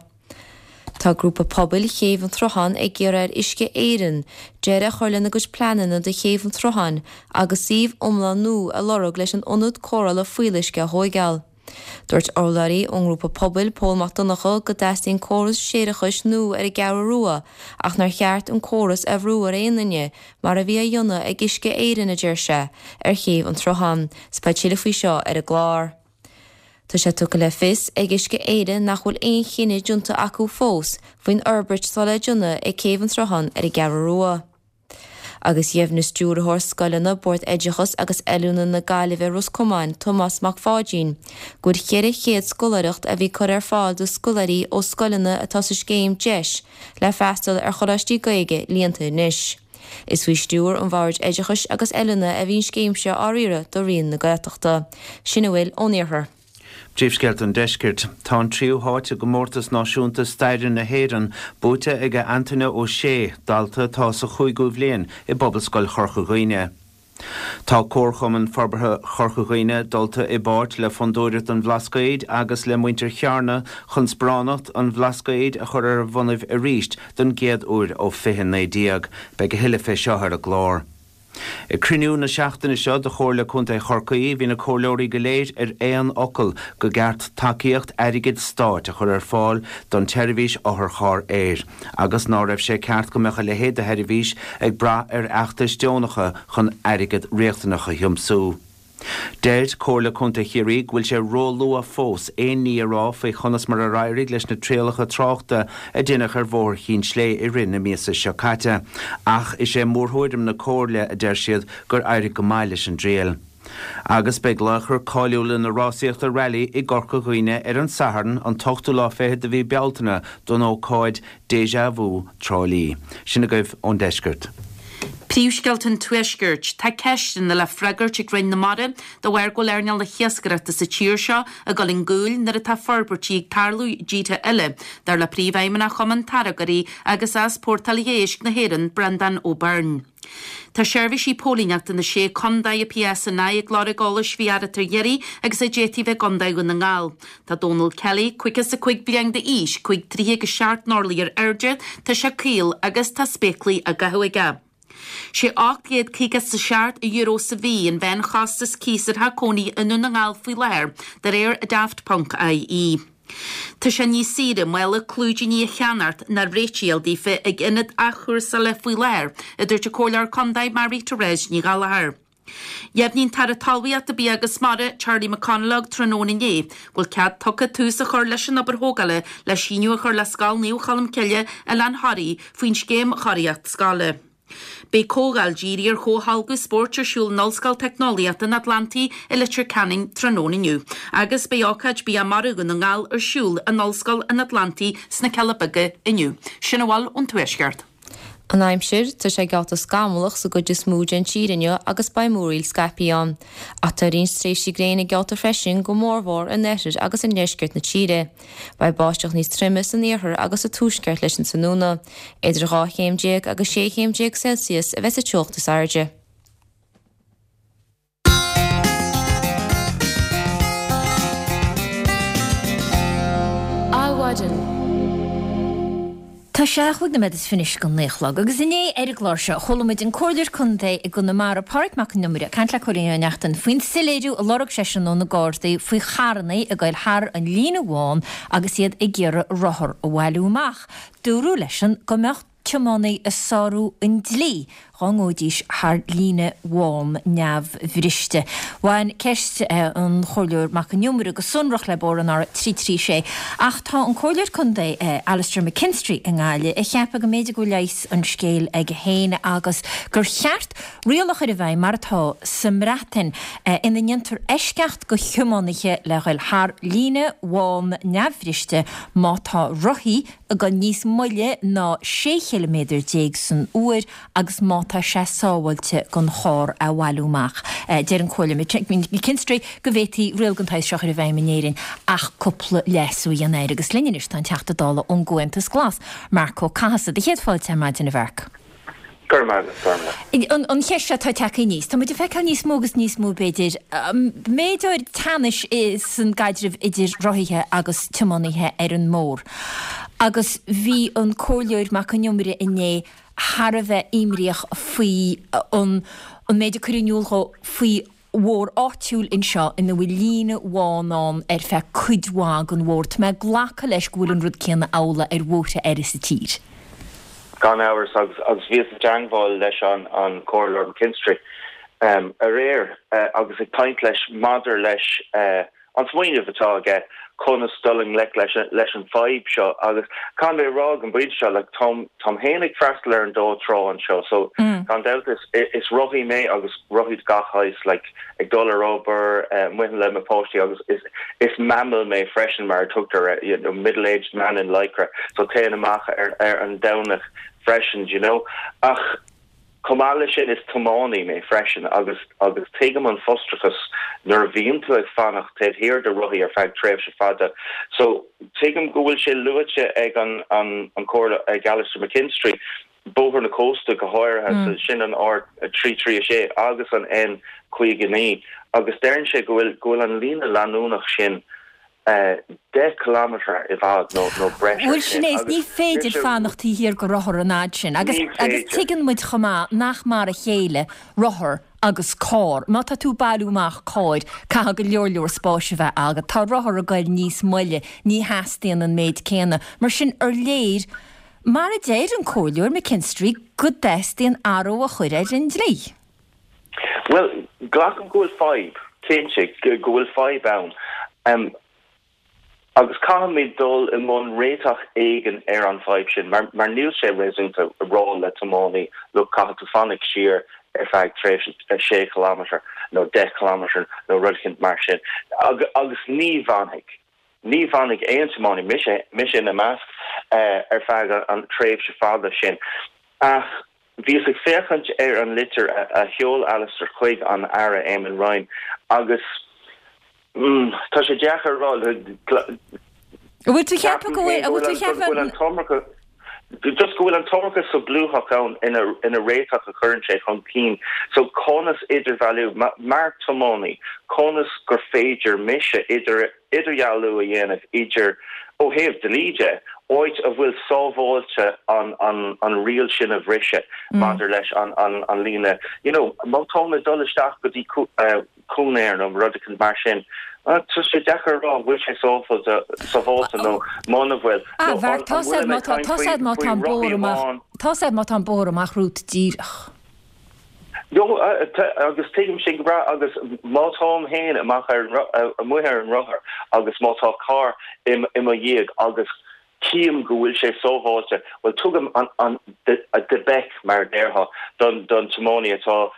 Speaker 3: Tá grúpa pobail Chéibh an tSrutháin ag iarraidh ar Uisce Éireann deireadh a chur lena gcuid pleananna do Chéibh an tSrutháin agus suíomh iomlán nua a lorg leis an ionad cóireála fuíolluisce a thóigeáil. Dúirt urlabhraí ón ngrúpa pobail, Pól Mac Donncha, go dteastaíonn córas séarachais nua ar an gCeathrú Rua ach nár cheart an córas a bhrú ar aon duine, mar a bhí á dhéanamh ag Uisce Éireann, a deir sé, ar Chéibh an tSrutháin. 'S beidh tuilleadh faoi seo ar an gclár. Tá sé tugtha le fios ag Uisce Éireann nach bhfuil aon chinneadh déanta acu fós faoin fhorbairt atá le déanamh ag Céibh an tSrutháin ar an gCeathrú Rua. Agus dheimhnigh Stiúrthóir Scoileanna Bord Oideachais agus Oiliúna na Gaillimhe Ros Comáin, Tomás Mac Pháidín, go bhfuil 400 scoláireacht a bhí curtha ar fáil do scoláirí ó scoileanna atá sa scéim deis le freastal ar choláistí Gaeilge líonta anois. Is faoi stiúir an Bhoird Oideachais agus Oiliúna a bhí an scéim seo á riaradh do Roinn na Gaeltachta. Sin a bhfuil ón Iarthar.
Speaker 4: Príomhscéalta an Deiscirt. Tá an tríú háit i gcomórtas náisiúnta staire na hÉireann buaite ag Antaine Ó Sé, dalta atá sa chúigiú bhliain i bPobalscoil Chorca Dhuibhne. Tá Comharchumann Forbartha Chorca Dhuibhne dulta i bpáirt le Fondúireacht an Bhlascaoid agus le muintir Chearna chun sparánacht an Bhlascaoid a chur ar a bhonnaibh arís don gcéad uair ó 2019. Beidh a thuilleadh fé seo ar an gclár. Ag cruinniú na seachtaine seo de Chomhairle Contae Chorcaí, bhí na comhairleoirí go léir ar aon fhocal go gceart tacaíocht airgid stáit a chur ar fáil don tseirbhís otharcharr aeir agus ná raibh sé ceart go mbeadh a leithéid de sheirbhís ag brath ar fheachtais deonacha chun airgead riachtanach a thiomsú. Deir Comhairle Contae Chiarraí go bhfuil sé róluath fós aon ní a rá faoi chonas mar ar éirigh leis na trialacha tráchta a deineadh ar Bhóthar Chinn Slé i rith na míosa seo caite, ach is é mórthuairim na Comhairle, a deir siad, gur éirigh go maith leis an dtriail. Agus beidh laochra cáiliúla na rásaíochta Rally i gCorca Dhuibhne ar an Satharn, an t-ochtú lá fichead de mhí Bealtaine don ócáid Déjà Vu Trá Lí. Sin agaibh ón deisceart.
Speaker 5: Príomhscéalta an Tuaiscirt. Tá ceisteanna le freagairt ag Roinn na Mara de bharr go bhfuil earnáil na hiascaireachta sa tír seo ag dul chun gcúil nuair atá forbairtí ag tarlú i dtíortha eile, dar le Príomhfheidhmeannach Chumann Táirgeoirí agus Easpórtálaithe Éisc na hÉireann, Breandán Ó Beirn. Tá seirbhísí póilíneachta na Sé Contae, PSNI, ag lorg eolais faoi fhear atá ar iarraidh agus a d'fhéadfaí a bheith i gContae Dhún na nGall. Tá Dónal Kelly, 55 bliain d'aois, 5 troithe agus 7 n-orlaí ar airde, tá sé caol agus tá spéaclaí á gcaitheamh aige. Sé €857 sa mhí an mheánchostas cíos ar theach cónaithe i nDún na nGall faoi láthair, de réir Daft ponc IE. Tá sé níos saoire mála clúidíní a cheannacht ná réitigh a fháil daofa ag ionad athchúrsála faoi láthair, a dúirt an Comhairleoir Contae Mary Therese Ní Ghallchóir. Dheimhnigh an tAire Talmhaíochta, Bia agus Mara, Charlie McConalogue tráthnóna inné go bhfuil cead tugtha tús a chur leis an obair thógála le síneadh a chur le Scoil Naomh Cholmcille, Oileán Thoraí, faoin scéim Chóiríocht Scoile. Beidh comhdháil dírithe ar chomhtholgadh spóirt ar siúl in Ollscoil Teicneolaíochta an Atlantaigh i Leitir Ceanainn tráthnóna inniu agus beidh ócáid Bia Mara Dhún na nGall ar siúl in Ollscoil an Atlantaigh sna Cealla Beaga inniu. Sin a bhfuil ón Tuaisceart.
Speaker 3: An aimsir, Tá sé geallta scamallach sa gcuid is mó den tír inniu agus beidh múraíl scaipthe ann. Ach tá roinnt tréimhsí gréine geallta freisin, go mórmhór in oirthear agus i ndeisceart na tíre. Beidh báisteach níos troime san iarthar agus sa tuaisceart leis an tráthnóna. Idir 12 chéim agus 16 chéim Celsius a bheas sa teocht is airde.
Speaker 1: Adhmhaidin. Tá sé chúig nóiméad is fiche anois go naoi a chlog agus inné ar an gclár seo chuala muid an Comhairleoir Contae i gConamara, Pádraig Mac Con Iomaire, ag caint le Cóilín Ó Neachtain faoin soiléiriú a lorg seisean ó na Gardaí faoi charrannaí ag goil thar an líne bhán agus iad ag iarraidh rothar a bhailiú amach. Dúradh leisean go mbeadh tiománaí ag sárú an dlí dhá ngabhaidís thar líne bhán neamhbhriste. Bhain ceist an Chomhairleoir Mac Con Iomaire go sonrach le bóthar an R336 ach tá an Comhairleoir Contae Alastair McKinstry i nGaillimh ag ceapadh go mb'fhéidir go bhfuil leigheas an scéil aige féin agus gur cheart riail a chur i bhfeidhm mar atá sa mBreatain ina ndéantar eisceacht go thiománaithe le ghoil thar líne bhán neamhbhriste má tá rothaí ag goil níos moille ná 16 chiliméadar san uair agus má tá sé sábháilte don charr a bhailiú amach. Deir an Comhairleoir McKinstry go bhféadfaí riail den tsaghas seo a chur i bhfeidhm in Éirinn ach cúpla leasú a dhéanamh air. Agus linn anois tá an Teachta Dála ón gComhaontas Glas, Marc Ó Cathasaigh. Do chéad fáilte ar maidin, a Mharc.
Speaker 9: Go raibh maith agat, Gormlaith.
Speaker 1: An cheist seo atá tagtha aníos, tá muid ag feiceáil níos mó agus níos mó, b'fhéidir, méid áirid teannais san gcaidreamh idir rothaithe agus tiománaithe ar an mbóthar. Agus bhí an Comhairleoir Mac Con Iomaire inné thar a bheith imríoch faoi an méid a cuireadh in iúl dhó faoi bhóthar áitiúil anseo ina bhfuil líne bhán ann ar feadh cuid mhaith den bhóthar. Tá mé ag glacadh leis go bhfuil an rud céanna amhlaidh ar bhóithre eile sa tír.
Speaker 9: Gan amhras, agus bhíos i dteangmháil leis an Comhairleoir McKinstry aréir agus ag caint leis maidir leis an smaoineamh atá aige conas dul i ngleic leis leis an fadhb seo agus caithfidh mé a rá ag an bpointe seo like táim táim féin ag freastal ar an dá trá anseo so gan dabht is is rothaí mé agus rothaí de gach shaghas like ag dul ar obair amuigh le mo pháistí agus is is MAMIL mé freisin mar a tugtar you know middle aged man in lycra so téann amach ar ar an Domhnach freisin do you know ach Chomh maith leis sin, is tiománaí mé freisin agus agus tuigim an frustrachas nuair a bhíonn tú ag fanacht taobh thiar de rothaí ar feadh tréimhse fada. So, tuigim go bhfuil sé luaite ag an an an Comhairle, ag Alastair McKinstry, Bóthar na Cósta go háirithe, so sin an R336 agus an N59 agus deireann sé go bhfuil go bhfuil an líne leanúnach sin 10 kilometre i bhfad nó nó breis
Speaker 1: air Bhuel sin é, is ní féidir fanacht taobh thiar de rothar an fhad sin. Agus agus tuigeann muid chomh maith nach mar a chéile rothar agus carr. Má tá tú ag bailiú amach cairr, caithfidh go leor leor spáis a bheith agat. Tá rothar ag goil níos moille, ní theastaíonn an méid céanna. Mar sin, ar léir, mar a deir an Comhairleoir McKinstry, go dteastaíonn athrú a chur ar an dlí.
Speaker 9: Bhuel, glacaim go bhfuil fadhb, cinnte, go bhfuil fadhb ann. Agus caithfimid dul i mbun réiteach éigin ar an bhfadhb sin, mar níl sé réasúnta a rá le tiománaí, look, caithfidh tú fanacht siar. ar feadh tréimhse 6 chileámeter nó 10 chileámeter nó rud eicínt mar sin agus ní bhfanfaidh, ní bhfanfaidh aon tiománaí, mise, mise ina measc, ar feadh an tréimhse fada sin. Ach bhíos ag féachaint ar an litir a sheol Alistair chuig an Aire Eamon Ryan agus tá sé deacair a rá,
Speaker 1: An bhfuil tú ag ceapadh go bhfuil, an bhfuil tú ag
Speaker 9: ceapadh go bhfuil an t-iomarca, just go bhfuil an t-iomarca solúbthacht ann ina réiteach a chuireann sé chun cinn. So conas idirbhealú, mar tiománaí, conas gur féidir mise idir, idirdhealú a dhéanamh idir, ó thaobh dlí de, áit a bhfuil sábháilte an an riail sin a bhriseadh maidir leis an an líne, you know, má táim ag dul isteach go dtí cóinéar nó rud eicínt mar sin, tá sé deacair a rá an bhfuil sé sábháilte nó muna bhfuil.
Speaker 1: Ah, bheart, tá sé má tá, tá sé má tá an bóthar amach, tá sé má tá an bóthar amach romhat díreach.
Speaker 9: No, agus tuigim sin go breá agus má táim féin amach ar an, amuigh ar an rothar agus má tá carr i mo dhiaidh agus tchím go bhfuil sé sábháilte, bhuel tugaim an, an, the beck mar a déarfá don, don tiománaí atá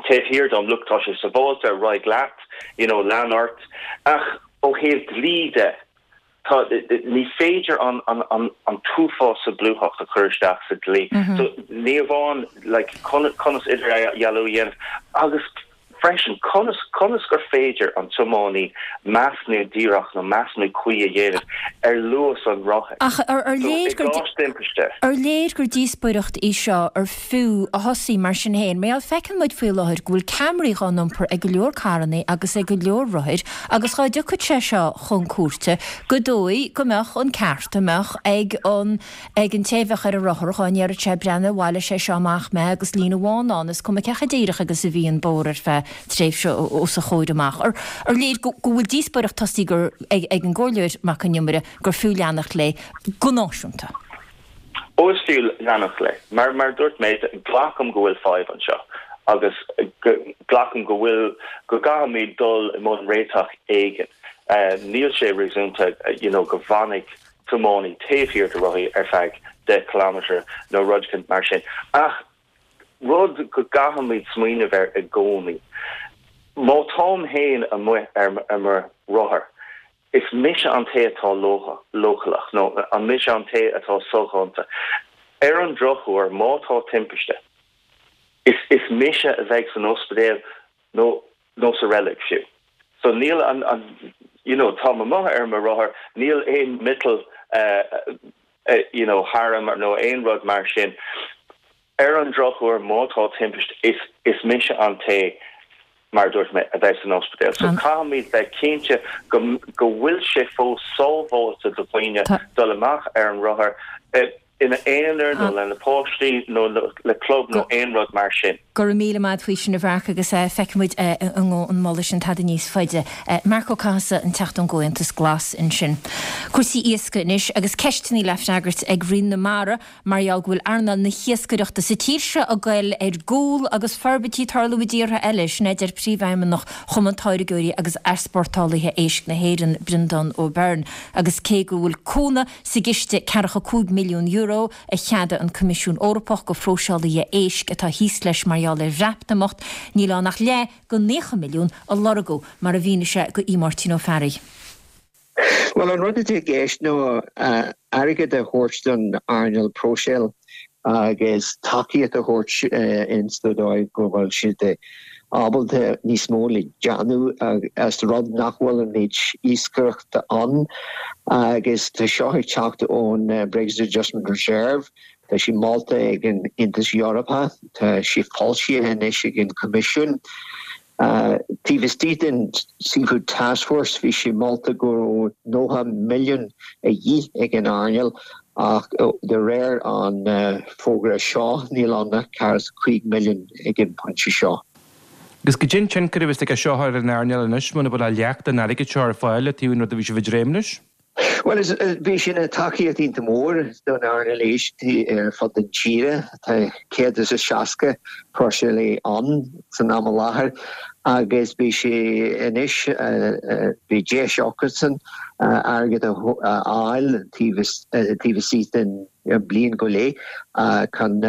Speaker 9: taobh thiar dom, look tá sé sábháilte, ar aghaidh leat, you know, lean ort. Ach ó thaobh dlí de, Tá, ní féidir an, an, an, an t-uafás solúbthacht a chur isteach sa dlí. So, ní amháin, like, conas, conas idirdhealú a dhéanamh agus freisin conas, conas gur féidir an tiománaí measúnú díreach nó measúnú cuí a dhéanamh ar luas an rothair.
Speaker 1: Ach ar, ar
Speaker 9: So,
Speaker 1: léir
Speaker 9: i
Speaker 1: gur,
Speaker 9: gcás timpiste.
Speaker 1: ar léir gur díospóireacht í seo ar fiú a thosaí mar sin féin. Mar gheall, feiceann muid faoi láthair go bhfuil ceamaraí dhá n-iompar ag go leor carrannaí agus ag go leor rothair agus dhá dtiocfadh sé seo chun cúirte gur dóigh go mbeadh an ceart a mbeadh ag an ag an té a bheadh ar an rothar dhá ndéarfadh sé breathnaigh bhailigh sé seo amach mé agus líne bhán ann is cuma cé chomh díreach agus a bhí an bóthar ar feadh tréimhse os a chomhair amach. Ar ar léir go go bhfuil díospóireacht tosaithe gur ag ag an gComhairleoir Mac Con Iomaire gur fiú leanacht léi go náisiúnta.
Speaker 9: Ó is fiú leanacht léi. Mar mar a dúirt mé, glacaim go bhfuil fadhb anseo agus glacaim go bhfuil, go gcaithfimid dul i mbun réiteach éigin. Níl sé réasúnta you know go bhfanfaidh tiománaí taobh thiar de rothaí ar feadh 10 kilometre nó rud eicínt mar sin. Ach rud go gcaithfimid smaoineamh air i gcónaí, má táim féin amuigh ar mo rothar, Is mise an té atá leochaileach, nó an mise an té atá soghonta. Ar an drochuair, má tá timpiste, is is mise a bheidh san ospidéal nó nó sa reilig fiú. So níl an an you know táim amuigh ar mo rothar, níl aon miotal you know tharam nó aon rud mar sin. Ar an drochuair, má tá timpiste, is is mise an té, mar a dúirt mé, a bheidh san ospidéal. So caithfimid bheith cinnte go go bhfuil sé fós sábháilte do dhaoine dul amach ar an rothar ina aonar nó lena páistí nó le club nó aon rud mar sin.
Speaker 1: Go raibh míle maith faoi sin a Mharc agus feicfidh muid an ngabhann an moladh sin tada níos faide. Marc Ó Cathasaigh, an Teachta ón gComhaontas Glas ansin. Cúrsaí iascaigh anois agus ceisteanna le freagairt ag Roinn na Mara Mar gheall go bhfuil earnáil na hiascaireachta sa tír seo ag goil ar gcúl agus forbairtí ag tarlú i dtíortha eile, sin a deir Príomhfheidhmeannach Chumann Táirgeoirí agus Easpórtálaithe Éisc na hÉireann, Breandán Ó Beirn. Agus cé go bhfuil cúnamh sa gciste €45 milliún a cheadaigh an Coimisiún Eorpach go phróiseálaithe éisc atá thíos leis mar gheall ar Bhreatimeacht, níl ann ach leath den 90 milliún a lorgadh, mar a mhínigh sé go Aodh Máirtín Ó Fearraigh.
Speaker 10: Bhuel, an rud atá i gceist ná airgead a thabhairt don earnáil próiseála agus tacaíocht a thabhairt ins an dóigh go bhfuil siad ábalta níos mó le déanamh as rud nach bhfuil an méid iascaireachta ann agus tá seo ag teacht ón Brexit Adjustment Reserve. Tá sé molta ag an Aontas Eorpach, tá sé foilsithe anois ag an Coimisiún. Taobh istigh den Seafood Task Force bhí sé molta go raibh 90 milliún a dhíth ag an earnáil ach de réir an fógra seo níl ann ach 45 milliún ag an bpointe seo.
Speaker 11: Agus goidé an tionchar a bheas aige seo ar an earnáil anois muna bhfuil ach leath den airgead seo ar fáil le taobh an rud a bhí sibh ag dréim leis?
Speaker 10: Bhuel, bhí sé ina tacaíocht iontach mór don earnáil éisc ar fud na tíre. Tá 160 próiseálaí ann san am i láthair. Agus beidh sé anois, beidh deis acusan airgead a fháil taobh istigh den bliain go leith chun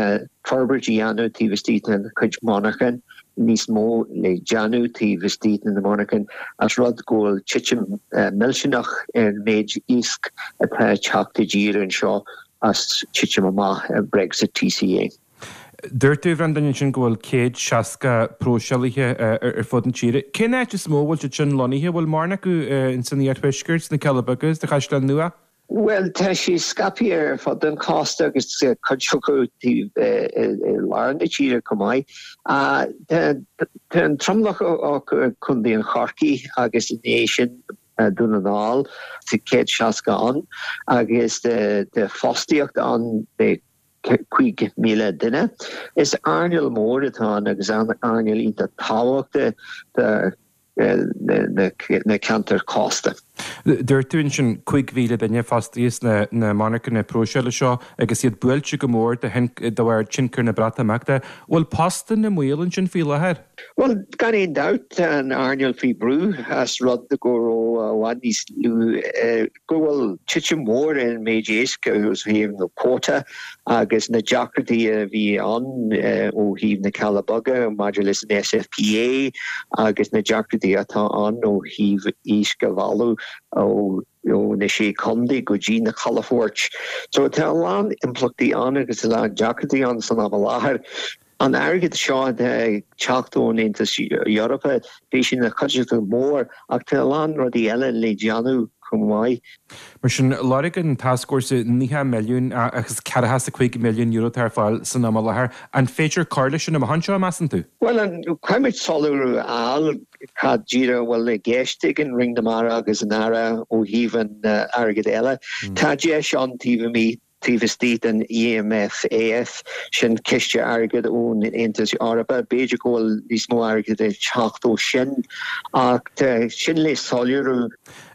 Speaker 10: forbairt a dhéanamh taobh istigh den chuid monarchan, níos mó le déanamh taobh istigh de na monarchain, as rud go bhfuil titim millteanach ar an méid iasc atá ag teacht i dtír anseo as titim amach Brexit TCA.
Speaker 11: Dúirt tú, a Bhreandáin, ansin go bhfuil 160 próiseálaithe ar fud na tíre. Cén áit is mó a bhfuil siad sin lonnaithe? Bhfuil mórán acu ins an iarthuaisceart, sna Cealla Beaga, sa Chaisleán Nua?
Speaker 10: Bhuel, tá sé scaipthe ar fud an chósta agus cuid acu taobh i lár na tíre chomh maith. Tá an tromlach acu i gContae an Chorcaí agus i ndiaidh sin Dún na nGall. Tá 160 ann agus tá fostaíocht ann le 5,000 duine. Is earnáil mhór atá ann agus earnáil iontach tábhachtach do na ceantair chósta.
Speaker 11: Dúirt tú ansin 5,000 duine fostaithe sna monarchana próiseála seo agus iad buailte go mór de bharr tionchar na Breatimeachta. Bhfuil postanna i mbaol ansin faoi láthair?
Speaker 10: Bhuel, gan aon dabht tá an earnáil faoi bhrú as rud go raibh i bhfad níos lú, go bhfuil titim mhór ar an méid éisc ó thaobh na quota agus na deacrachtaí a bhí ann ó thaobh na Cealla Beaga maidir leis an SFPA agus na deacrachtaí atá ann ó thaobh iasc a mhealladh ó na Sé Chontae go dtí na calafoirt. So tá a lán impleachtaí ann agus a lán deacrachtaí ann san am i láthair. An airgead seo atá ag teacht ón Aontas Eorpach, beidh sé ina chuideachta mhór ach tá a lán rudaí eile le déanamh chomh maith.
Speaker 11: Mar sin, lorg an tascfhórsa €90 milliún agus €45 milliún atá ar fáil san am i láthair. An féidir cur leis sin amach anseo, measann tú?
Speaker 10: Bhuel, caithfimid soiléiriú a fháil cad díreach a bhfuil i gceist ag an Roinn na Mara agus an Aire ó thaobh an airgid eile. Tá deis ann taobh amuigh Taobh istigh den EMFAF, sin ciste airgid ón Aontas Eorpach, b'fhéidir go bhfuil níos mó airgid ag teacht ó sin, ach tá sin le soiléiriú.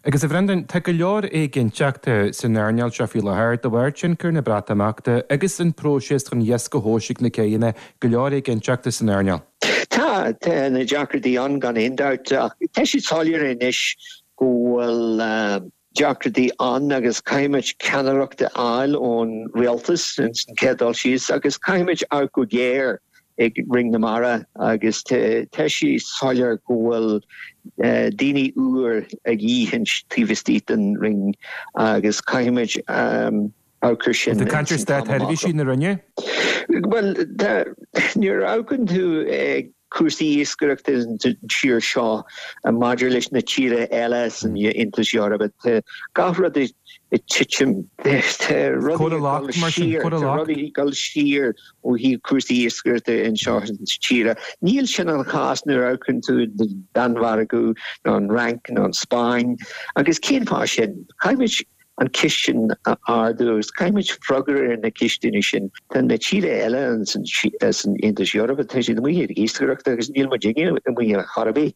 Speaker 11: Agus a Bhreandáin, tá go leor éiginnteachta san earnáil seo faoi láthair de bharr tionchar na Breatimeachta agus an próiseas chun iasc a thomhas ag na céanna, go leor éiginnteachta san earnáil.
Speaker 10: Tá, tá na deacrachtaí ann gan aon dabht, ach tá sé soiléir anois go bhfuil. deacrachtaí ann agus caithfimid ceannaireacht a fháil ón rialtas ins an chéad dul síos agus caithfimid amharc go géar ag Roinn na Mara agus tá sé soiléir go bhfuil daoine úr a dhíth taobh istigh den Roinn agus caithfimid amharc ar sin
Speaker 11: Tá caint ar státsheirbhísigh na Roinne?
Speaker 10: Bhuel, nuair a amharcann tú ag cúrsaí iascaireachta sa tír seo maidir leis na tíortha eile san Aontas Eorpach. Tá gach rud ag titim. Tá rudaí ag dul siar, tá rudaí ag dul siar ó thaobh cúrsaí iascaireachta anseo sa tír. Níl sin an chás nuair a amharcann tú an Danmhairg nó an Fhrainc nó an Spáinn. Agus cén fáth sin? Caithfimid an ceist sin a ardú agus caithfimid freagra ar na ceisteanna sin. Tá na tíortha eile san Aontas Eorpach, tá siad amuigh ag iascaireacht agus níl muidinne amuigh ar chor ar bith.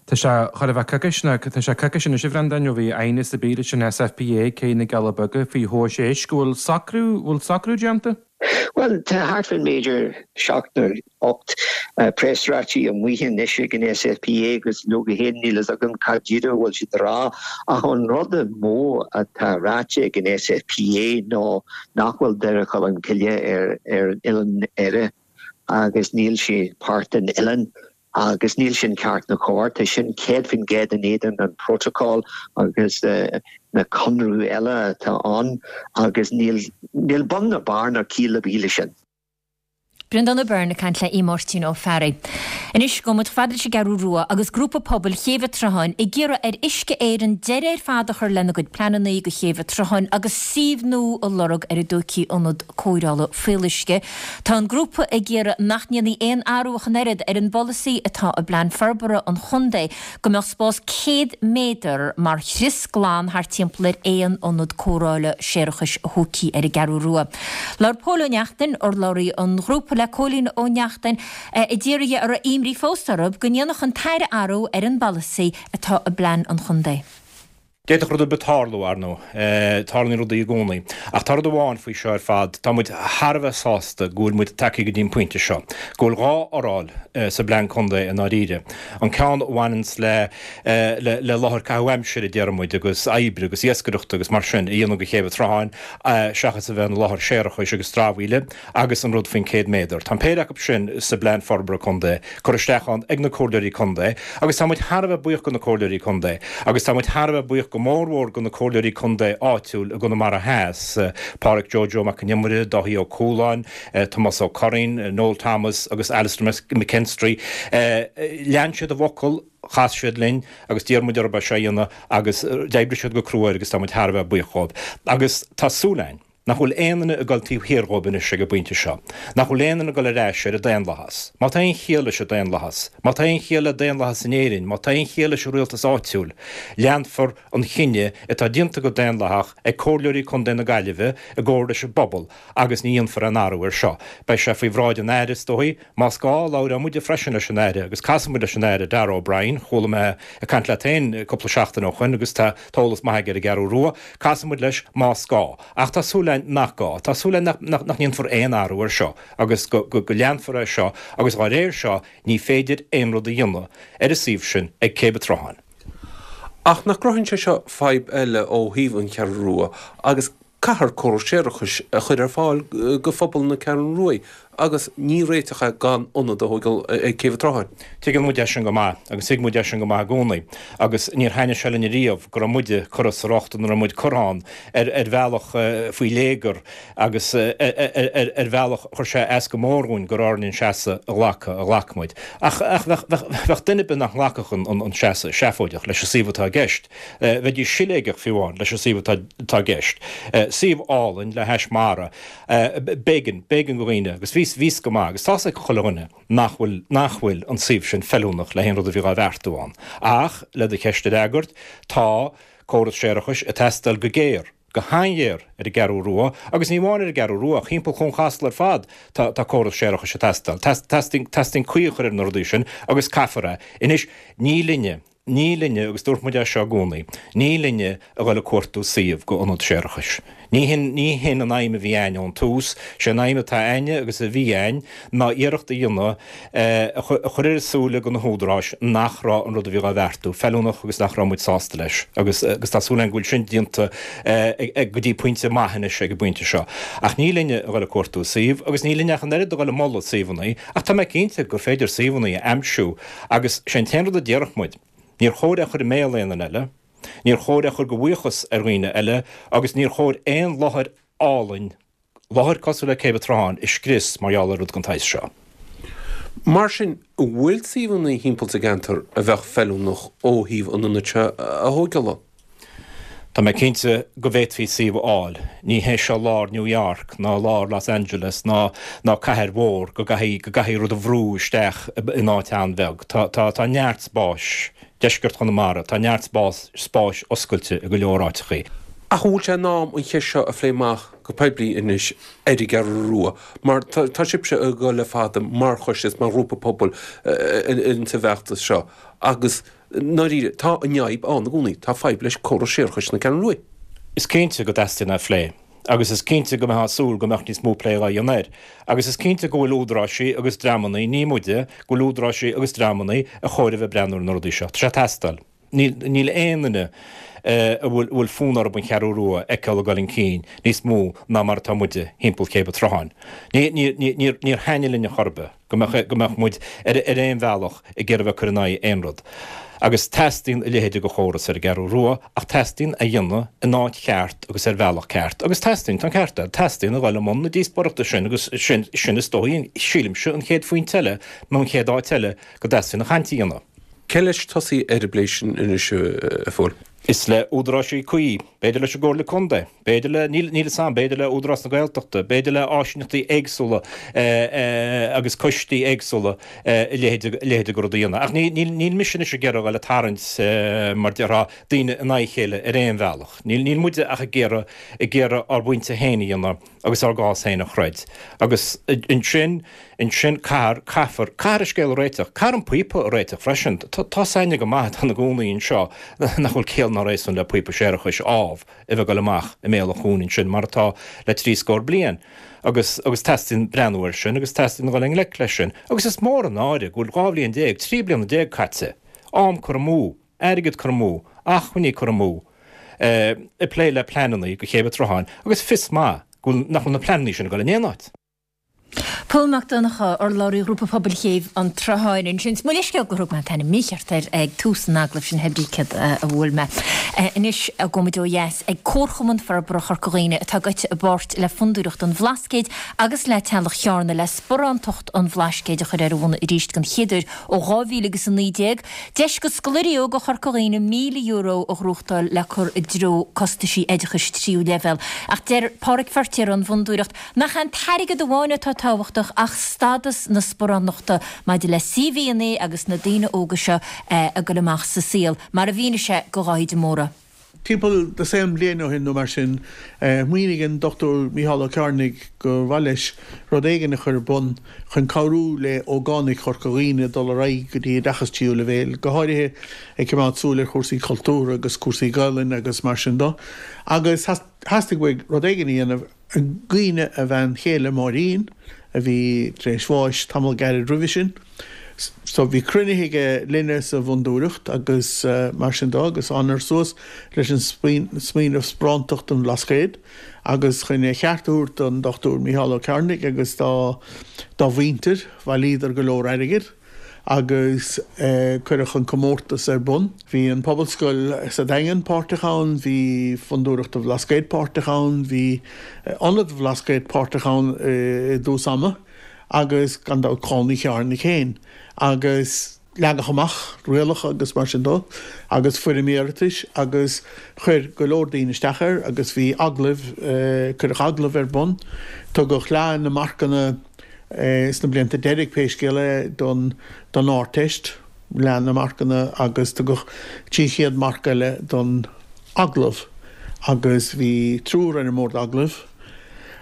Speaker 11: Tá sé chóir a bheith coicís, nó tá sé coicís anois a Bhreandáin ó bhí aighneas ar bith leis an SFPA ag Cé na gCealla Beaga faoi thomhais éisc. An bhfuil socrú, bhfuil socrú déanta?
Speaker 10: Bhuel, tá thart fán mb'fhéidir 7 nó 8 preasráití amuigh anois ag an SFPA agus leoga féin níl fhios agam cad díreach a bhfuil siad a rá ach an rud is mó atá ráite ag an SFPA ná nach bhfuil Doire Cholm Cille ar ar an oileán Éire agus níl sé páirt den oileán. Agus níl sin ceart ná cóir. Tá sin 100% in éadan an protocol agus na conradh eile atá ann agus níl níl bun ná barr ná ciall ar bith leis sin.
Speaker 1: Breandán Ó Beirn ag caint le Aodh Máirtín Ó Fearraigh. Anois gabhfaidh muid chomh fada leis an gCeathrú Rua agus grúpa pobail Chéibh an tSrutháin ag iarraidh ar Uisce Éireann deireadh ar fad a chur lena gcuid pleananna do Chéibh an tSrutháin agus suíomh nua a lorg ar a dtógfaí ionad cóireála fuíolluisce. Tá an grúpa ag iarraidh nach ndéanfaí aon athrú ach an oiread ar an bpolasaí atá i bPlean Forbartha an Chontae go mbeadh spás 100 méadar mar chrios glan thart timpeall ar aon ionad cóireála séarachais a thógfaí ar an gCeathrú Rua. Labhair Pól Ó Neachtain, urlabhraí an ghrúpa le Cóilín Ó Neachtain, a d'iarr dhe a raibh imní fós orthu go ndéanfadh an tAire athrú ar an bpolasaí atá i bPlean an Chontae.
Speaker 12: D'fhéadfadh rud ar bith tarlú, ar ndóigh. Tarlaíonn rudaí i gcónaí. Ach tá rud amháin faoi seo ar fad, tá muid thar a bheith sásta go bhfuil muid tagtha go dtí an pointe seo, go bhfuil 2 fhoráil sa bplean contae i ndáiríre. An ceann a bhaineanns le le láthair caitheamh aimsire, a déarfaidh muid, agus oibre agus iascaireachta agus mar sin a dhéanamh de Chéibh an tSrutháin seachas a bheith ina láthair séarachais agus dramhaíle. agus an rud faoin 100 méadar. Tá an péire acu sin sa bPlean Forbartha Contae curtha isteach ann ag na Comhairleoirí Contae agus tá muid thar a bheith buíoch go na Comhairleoirí Contae agus tá muid thar a bheith buíoch go mórmhór go na Comhairleoirí Contae áitiúil i gConamara Theas, Pádhraic Joe Joe Mac Con Iomaire, Dáithí Ó Cualáin, Tomás Ó Curraoin, Noel Thomas agus Alastair McKinstry. Lean siad a bhfocal, chas siad linn agus d'iarr muid orthu é seo a dhéanamh agus d'oibrigh siad go crua air agus tá muid thar a bheith buíoch dhóibh. Agus tá súil againn. Nach bhfuil aon duine ag dul taobh thiar dhóibh anois ag an bpointe seo. Nach bhfuil aon duine ag dul ar ais ar an daonlathas. Má tá aon chiall leis an daonlathas, má tá aon chiall le daonlathas in Éirinn, má tá aon chiall leis an rialtas áitiúil, leanfar an chinneadh atá déanta go daonlathach ag Comhairleoirí Contae na Gaillimhe i gcomhar leis an bpobal agus ní dhéanfar aon athrú air seo. Beidh sé faoi bhráid an Aire, is dóigh. Más gá, labhróidh muide freisin leis an Aire agus casfaidh muid leis an Aire Darragh O'Brien. Chuala mé ag caint leat féin cúpla seachtain ó shoin agus tá eolas maith aige ar an gCeathrú Rua. Casfaidh muid leis más gá. Ach tá súil againn nach gá. Tá súil againn nach ndéanfar aon athrú air seo agus go leanfar é seo agus dhá réir seo ní féidir aon rud a dhéanamh ar an suíomh sin ag Céibh an tSrutháin.
Speaker 13: Ach nach gcruthaíonn sé seo fadhb eile ó thaobh an Cheathrú Rua agus caithfear córas séarachais a chur ar fáil go phobal na Ceathrún Ruaidh agus ní réiteach é gan ionad a thóigeáil ag Céibh an tSrutháin.
Speaker 12: Tuigeann muid é sin go maith agus thuig muid é sin go maith i gcónaí agus níor thaitnigh sé linn ariamh go raibh muide curtha sa riocht ina raibh muid curtha ann ar ar bhealach faoi léigear agus ar bhealach chuir sé as go mór dhúinn gur orainn an seasamh a ghlacadh a ghlac muid. Ach bheadh duine ar bith nach nglacfadh an seasamh seafóideach leis an suíomh atá i gceist. Bheidís siléigeach fiú amháin leis an suíomh atá i gceist. Suíomh álainn le hais mara. B'éigean, b'éigean go dhaoine, agus bhí, bhí 's go maith, agus tá's ag chuile dhuine nach bhfuil, nach bhfuil an suíomh sin feiliúnach le haon rud a bhí dhá bheartú ann. Ach, le do cheist a fhreagairt, tá córas séarachais ag teastáil go géar. go han-ghéar ar an gCeathrú Rua, agus ní amháin ar an gCeathrú Rua, ach thimpeall Chuan Chasla ar fad, tá, tá córas séarachais ag teastáil. Teastaíonn, teastaíonn caoi a chur ar na rudaí sin agus caithfear é. Anois, ní linne, ní linne, agus dúirt muid é seo i gcónaí, ní linne a dhul ag cuartú suíomh go ionad séarachais. Ní hin, ní hin an aidhm a bhí a'ainn ón tús. Sé an aidhm atá a'ainne agus a bhí a'ainn ná iarracht a dhéanamh a chur ar a súile go na húdaráis nach raibh an rud a bhí dhá bheartú feiliúnach agus nach raibh muid sásta leis agus agus tá súil againn go bhfuil sin déanta go dtí pointe maith anois ag an bpointe seo. Ach ní linne a dhul ag cuartú suíomh agus ní linne ach an oiread a dhul ag moladh suíomhanna ach tá mé cinnte gur féidir suíomhanna a aimsiú agus sé an t-aon rud a déarfadh muid, níor chóir é a chur i mbéal aon duine eile, níor chóir é a chur de bhuíochas ar dhaoine eile agus níor chóir aon láthair álainn Láthair cosúil le Céibh an tSrutháin a scrios mar gheall ar rud den tsaghas seo.
Speaker 13: Mar sin, an bhfuil suíomhanna thimpeall sa gceantar a bheadh feiliúnach ó thaobh an ionaid seo a thóigeáil ann?
Speaker 12: Tá mé cinnte go bhféadfaí suíomh a fháil. Ní hé seo lár New York ná lár Los Angeles ná ná cathair mhór go gcaithfidh go gcaithfidh rud a bhrú isteach in áit an-bheag. Tá tá tá neart spáis deisceart Chonamara, tá neart spás spáis oscailte i go leor áiteachaí.
Speaker 13: Ach an bhfuil sé in am an cheist seo a phlé amach go poiblí anois ar an gCeathrú Rua? Mar tá sibhse ag dul le fada mar choiste is mar ghrúpa pobail insa bhfeachtas seo agus i ndáiríre tá an fhadhb ann i gcónaí, tá fadhb leis córas séarachais na Ceathrún Ruaidh.
Speaker 12: Is cinnte go dteastaíonn é a phlé agus is cinnte go mbeifeá ag súil go mbeadh níos mó plé dhá dhéanamh air. Agus is cinnte go bhfuil údaráisí agus dreamannaí, ní muide, go bhfuil údaráisí agus dreamannaí a chóir a bheith ag breathnú ar na rudaí seo. Tá sé ag teastáil. Níl aon duine a bhfuil fonn orthu an Cheathrú Rua a fheiceáil ag dul chun cinn níos mó ná mar atá muide thimpeall Chéibh an tSrutháin. Níor thaitnigh linn ar chor ar bith go mbeadh muid ar aon bhealach ag iarraidh a bheith ag cur in aghaidh aon rud. Agus teastaíonn a leithéid de chóras ar an gCeathrú Rua ach teastaíonn a dhéanamh in áit cheart agus ar bhealach ceart. Agus teastaíonn, tá an ceart agat, teastaíonn a dhul i mbun na díospóireachta sin agus sin, sin is dóigh, sílimse, an chéad phointe eile nó an chéad áit eile go dteastaíonn an chaint a dhéanamh.
Speaker 13: Cé leis tosaí ar an bplé sin anois, a Phóil?
Speaker 12: Is le údaráisí cuí, b'fhéidir leis an gComhairle Contae, b'fhéidir le, níl níl 'fhios a'm, b'fhéidir le Údarás na Gaeltachta, b'fhéidir le áisíneachtaí éagsúla agus coistí éagsúla a leithéid a leithéid de rud a dhéanamh. Ach ní níl níl mise anois ag iarraidh a dhul ag tarraingt mar déarfá daoine in aghaidh a chéile ar aon bhealach. Níl níl muide ach ag iarraidh ag iarraidh ár bpointe féin a dhéanamh agus ár gcás féin a throid. Agus ansin, ansin caithfear, caithfear, caithfear an scéal a réiteach. Caithfear an píopa a réiteach freisin. Tá 's a'inne go maith atá ina gcónaí anseo nach bhfuil ciall ná. nár é san le píopa séarachais ámh a bheith ag dul amach i mbéal an chuain ansin mar atá le trí scór bliain agus agus teastaíonn breathnú air sin agus teastaíonn dul i ngleic leis sin agus is mór an náire go bhfuil 12 bhliain, 13 bliana caite, am curtha amú, airgead curtha amú, acmhainní curtha amú ag plé le pleanannaí do Chéibh an tSrutháin agus fios maith go bhfuil nach bhfuil na pleanannaí sin ag dul in aon áit.
Speaker 1: Pól Mac Donncha, urlabhraí Ghrúpa Pobail Chéibh an tSrutháin ansin. Mo leithscéal gur thug mé an t-ainm mícheart air ag tús an agallaimh sin, hé brí céard a bhuail mé. Anois gabhfaimid ó dheas ag Comharchumann Forbartha Chorca Dhuibhne atá gaibhte i bpáirt le Fondúireacht an Bhlascaoid agus le Teaghlach Chearna le Sparántacht an Bhlascaoid a chur ar a bhona arís den chéad uair ó 2000 agus 19. Deis do scoláirí óga Chorca Dhuibhne €1,000 a ghnóthachtáil le cur i dtreo costaisí oideachais tríú leibhéal. Ach deir Páraic Feirtéar ón bhFondúireacht nach é an t-airgead amháin atá tábhachtach ach stádas na sparánachta maidir le CVanna agus na daoine óga seo ag dul amach sa saol, mar a mhínigh sé do Dháithí de Mórdha.
Speaker 14: Timpeall dosaen bliain ó shin nó mar sin, smaoinigh an Dr Mícheál Ó Cearnaigh gur mhaith leis rud éigin a chur ar bun chun cabhrú le ógánaigh Chorca Dhuibhne dul ar aghaidh go dtí oideachas tríú leibhéal, go háirithe ag coimeád súil ar chúrsaí cultúrtha agus cúrsaí Gaelainne agus mar sin de. Agus theastaigh uaidh rud éigin a dhéanamh i gcuimhne a bhean chéile Máirín, a bhí tar éis bháis tamall gairid roimhe sin. So bhí cruinnithe aige linne sa bhFondúireacht agus mar sin de agus thánadar suas leis an smaoineamh Sparántacht an Bhlascaoid agus chun a cheart a thabhairt don Dr Mícheál Ó Cearnaigh agus dá dá mhuintir, bhailíodar go leor airgid agus cuireadh an comórtas ar bun. Bhí an Pobalscoil sa Daingean páirteach ann, bhí Fondúireacht an Bhlascaoid páirteach ann, bhí Ionad an Bhlascaoid páirteach ann i dtús ama. agus gan dabht Clann Uí Chearnaigh féin agus leagadh amach rialacha agus mar sin de agus foirm iarratais agus chuir go leor daoine isteach air agus bhí agallaimh, cuireadh agallaimh ar bun, tugadh leath na marcanna sna blianta deiridh pé scéal é don don Ardteist, leath na marcanna agus tugadh 300 marc eile don agallamh agus bhí triúr ar an mbord agallaimh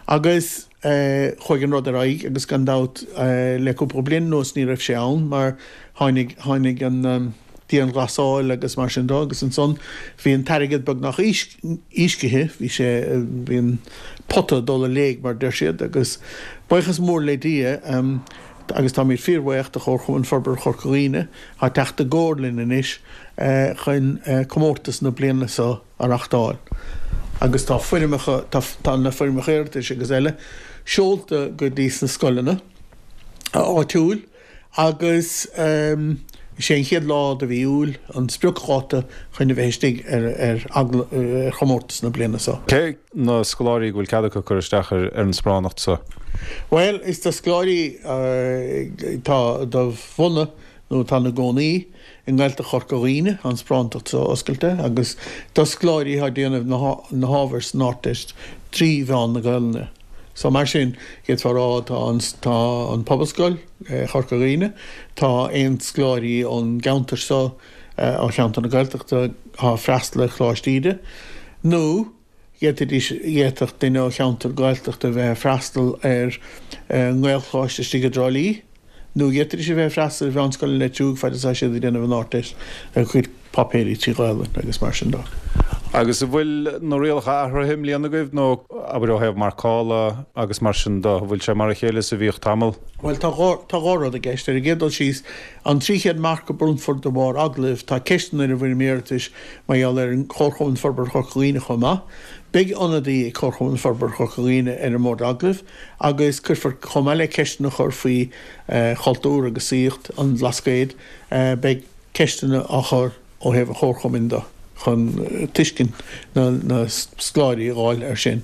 Speaker 14: agus. Chuaigh an rud ar aghaidh agus gan dabht le cúpla bliain anuas ní raibh sé ann mar tháinig, tháinig an dianghlasáil agus mar sin de agus ansan bhí an t-airgead beagnach uiscithe, bhí sé, bhí an pota ag dul i léig mar a deir siad agus buíochas mór le Dia agus táimid fíorbhuíoch de Chomharchumann Forbartha Chorca Dhuibhne atá ag teacht i gcomhar linn anois chun comórtas na bliana seo a reachtáil agus tá foirmeacha, tá na foirmeacha iarratais agus eile seolta go dtí sna scoileanna áitiúil agus is é an chéad lá de mhí Iúil an spriocdháta chun a bheith istigh ar ar chomórtas na bliana seo.
Speaker 15: Cé na scoláirí go bhfuil cead acu cur isteach ar an sparánacht seo?
Speaker 14: Bhuel, is do scoláirí atá de bhunadh nó atá ina gcónaí i nGaeltacht Chorca Dhuibhne tá an sparántacht seo oscailte agus do scoláirí atá ag déanamh na hábhair san Ardteist trí mheán na Gaelainne. So mar sin, d'fhéadfá a rá tá an tá an Pobalscoil Chorca Dhuibhne, tá aon scoláirí ón gceantar seo, ó cheantar na Gaeltachta atá ag freastal ar Choláiste Íde, nó D'fhéadfaidís, d'fhéadfadh duine ó cheantar Gaeltachta a bheith ag freastal ar nGaelcholáiste istigh i dTrá Lí, nó d'fhéadfaidís a bheith ag freastal ar Mheánscoil an Leitriúigh fad is atá siad ag déanamh an Ardteist ar a gcuid páipéirí trí Ghaelainn agus mar sin de.
Speaker 15: Agus an bhfuil na rialacha athraithe i mbliana agaibh nó, abair, ó thaobh marcála agus mar sin de, an bhfuil sé mar a chéile is a bhíodh tamall?
Speaker 14: Bhuel, tá dhá, tá dhá rud i gceist. Ar an gcéad dul síos, an 300 marc a bronnfar de bharr agallaimh, tá ceisteanna ar an bhfoirm iarratais Mar gheall ar an Chomharchumann Forbartha Chorca Dhuibhne chomh maith, beidh ionadaí ag Comharchumann Forbartha Chorca Dhuibhne ar an mbord agallaimh agus cuirfear, chomh maith le ceisteanna a chur faoi chultúr agus saíocht an Bhlascaoid, beidh ceisteanna á chur ó thaobh an Chomharchumainn de chun tuiscint na scoláirí a dh'fháil air sin.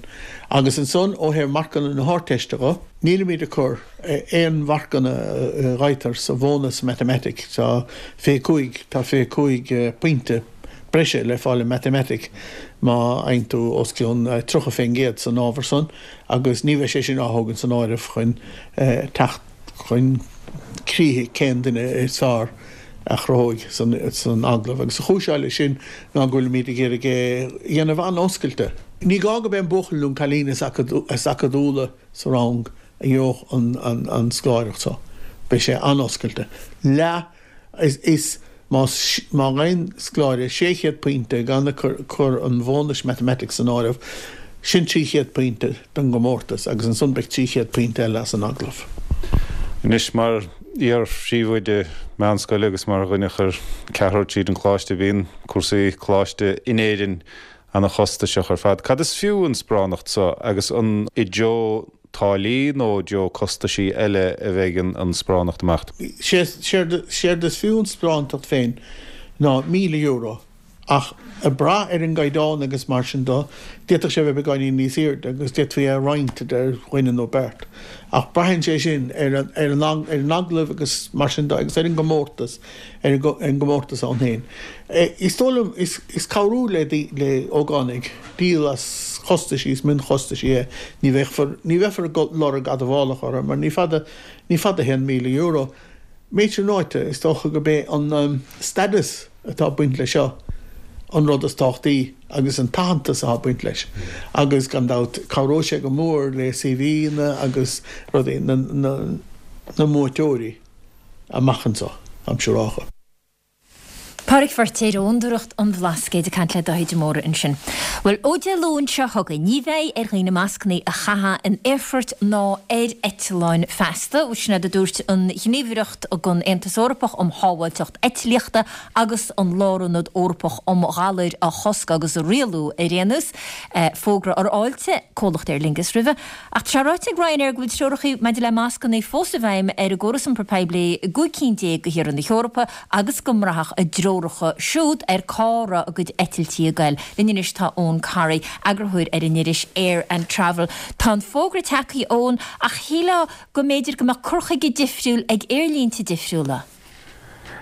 Speaker 14: Agus ansan ó thaobh marcanna na hArdteiste dho, nílimid ag cur aon mharcanna a dh'fhaightear sa bhónas matamaitic, tá 25, tá 25 pointe breise le fáil i matamaitic má fhaigheann tú os cionn 30% san ábhar san agus ní bheidh sé sin á thógaint san áireamh chun teacht chun críche cén duine is fearr a chruthóidh san agallamh. Agus an chúis atá leis sin ná go bhfuilimid ag iarraidh é a dhéanamh an-oscailte. Ní gá go b'é an buachaill nó an cailín is acadúla sa rang a gheobhadh an scoláireacht seo. Beidh sé an-oscailte. Leath, is. Más, má fhaigheann scoláire 600 pointe gan ag cur an bhónais matamaitic san áireamh, sin 300 pointe don gcomórtas agus ansan beidh 300 pointe eile as an agallamh.
Speaker 15: Anois, mar iar-phríomhoide meánscoile agus mar dhuine a chuir ceathrar tríd an choláiste, bíonn cúrsaí coláiste in Éirinn ana-chostasach ar fad. Cad is fiú an sparánacht so agus an i dtreo táillí nó i dtreo costaisí eile a bheidh an sparánacht amach?
Speaker 14: Séard is fiú an sparántacht féin ná €1,000 ach ag brath ar an gcaighdeán agus mar sin do, d'fhéadfadh sé a bheith beagáinín níos airde agus d'fhéadfaí é a roinnt idir dhuine nó beirt. Ach braitheann sé sin ar an agallamh agus mar sin de agus ar an gcomórtas. ar an gcomórtas ann féin. Is dóigh liom, is cabhrú le le ógánaigh díol as chostaisí is mionchostaisí é. Ní bheifear ní bheifear ag lorg admhálacha orthu mar ní fada ní fada a théann €1,000. B'fhéidir ráite, is dócha gurb é an status atá ag baint leis seo an rud is tábhachtaí agus an t-aitheantas atá ag baint leis agus gan dabht cabhróidh sé go mór le CV-anna agus rudaí na na na mbuaiteoirí. amach anseo, táim siúrálta.
Speaker 1: Pádraig Feirtéar ó Fhondúireacht an Bhlascaoid ag caint le Dáithí de Mórdha ansin. Bhuel, ó Dé Luain seo chugainn, ní bheidh ar dhaoine mascanna a chaitheamh in aerfoirt ná ar eitleáin feasta. Sin é a dúirt an Ghníomhaireacht don Aontas Eorpach um Shábháilteacht Eitlíochta agus an Lárionad Eorpach um Ghalair a Chosc agus a Rialú ar aon nós. Fógra a fháiltigh comhlacht Aer Lingus roimhe. Ach tá sé ráite ag Ryanair go bhfuil treoracha maidir le mascanna fós i bhfeidhm ar a gcóras iompair poiblí i gcúig cinn de thíortha na hEorpa agus go mbraithfeadh a dtreoracha siúd ar cá raibh a gcuid eitiltí ag goil. Linn anois tá Eoin Corry, eagarthóir ar an iris Air and Travel. Tá an fógra tagtha, a Eoin, ach shílfeá go mb'fhéidir go mbeadh cur chuige difriúil ag aerlínte difriúla.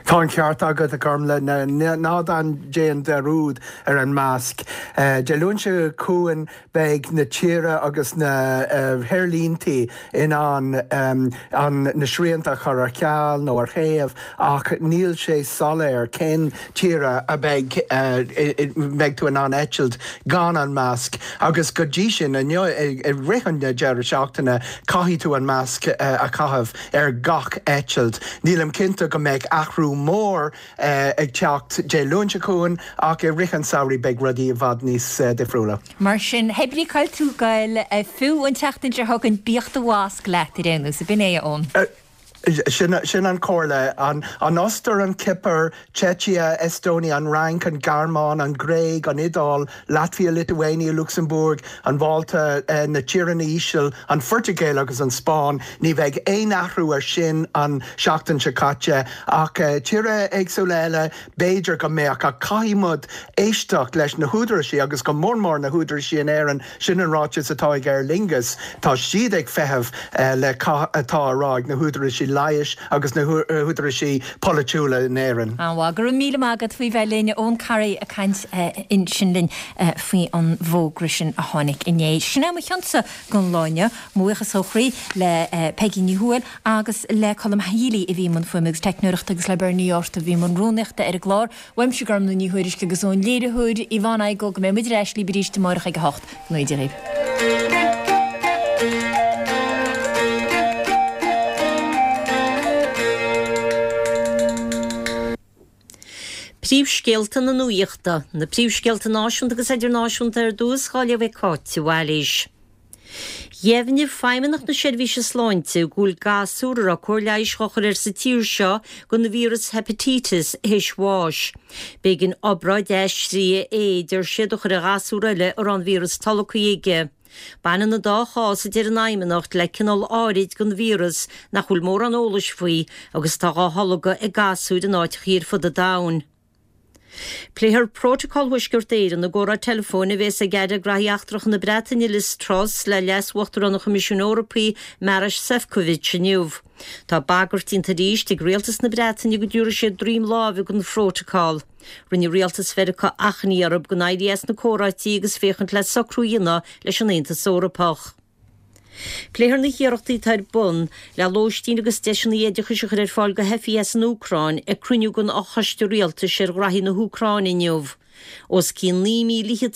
Speaker 16: Tá an ceart agat, a Ghormlaith. Ná déan dearúd ar an masc. Dé Luain seo chugainn beidh na tíortha agus na haerlíntí in ann na srianta a chur ar ceal nó ar thaobh ach níl sé soiléir cén tíortha a mbeidh mbeidh tú in ann eitilt gan an masc agus go dtí sin inniu i rith an deireadh seachtaine caithfidh tú an masc a chaitheamh. ar gach eitilt. Nílim cinnte go mbeidh athrú mór ag teacht Dé Luain seo chugainn ach i rith an samhraidh beidh rudaí i bhfad níos difriúla.
Speaker 1: Mar sin, hé brí cá bhfuil tú ag goil, fiú an tseachtain seo chugainn, bíodh do mhasc leat ar aon nós, ab in é, a Eoin?
Speaker 16: Sin an chomhairle. An Ostair, an Chipir, Tseicia, Estonia, an Fhrainc, an Ghearmáin, an Ghréig, an Iodáil, Latvia, Lithuania, Lucsamburg, an Mhálta, na Tíortha Íseal, an Phortaingéil agus an Spáinn. Ní bheidh aon athrú ar sin an seachtain seo caite ach tíortha éagsúla eile b'fhéidir go mbeadh ach caithfidh muid éisteacht leis na húdaráisí agus go mór mór na húdaráisí in Éirinn Sin an ráiteas atá ag Aer Lingus. Tá siad ag feitheamh le cad atá á rá ag na húdaráisí leighis agus na húdaráisí polaitiúla in Éirinn.
Speaker 1: An-mhaith. Go raibh míle maith agat faoi bheith linn. Eoin Corry ag caint ansin linn faoi an bhfógra sin a tháinig inné. Sin é mo chionsa don lá inniu. Mo bhuíochas ó chroí le Peigí Ní Thuathail agus le Colm Healy a bhí i mbun fuaime agus teicneoireachta agus le Bernie Arthur a bhí i mbun rúnaíochta ar an gclár. Uaimse Gormlaith Ní Thuairisg agus ón léiritheoir Yvonne Igoe go mbeidh muid ar ais libh arís amárach ag a 8. Go ngnóthaí Dia dhaoibh.
Speaker 2: Príomhscéalta na Nuachta. Na príomhscéalta náisiúnta agus idirnáisiúnta ar dtús, á léamh ag Cáit de Bhailís. Dheimhnigh Feidhmeannacht na Seirbhíse Sláinte go bhfuil gasúr a raibh cóir leighis dhá chur air sa tír seo don víreas heipitíteas théis bháis. B'éigean obráid aistrithe é, deir siad, a chur ar ghasúr eile a raibh an víreas tolgtha aige. Baineann an dá chás, a deir an Fheidhmeannacht, le cineál áirid den víreas nach bhfuil mórán eolais faoi agus atá dhá tholgadh ag gasúir in áiteachaí ar fud an domhain. Pléifear Prótacal Thuaisceart Éireann i gcomhrá teileafóin a bhéas ag Aire Graithí Eachtracha na Breataine Liz Truss le Leas-Uachtarán an Choimisiúin Eorpaigh Maroš Šefčovič inniu. Tá bagairt déanta arís ag Rialtas na Breataine go dtabharfaidh siad droim láimhe don Phrótacal. Rinne Rialtas Mheiriceá achainí orthu gan éirí as na comhráití agus féachaint le socrú a dhéanamh leis an Aontas Eorpach. Pléifear na hiarrachtaí atá ar bun le lóistín agus deiseanna oideachais a chur ar fáil do theifigh as an Úcráin ag cruinniú den Fhochoiste Rialtais ar Ghraithí na hÚcráine inniu. Os cionn 9,000.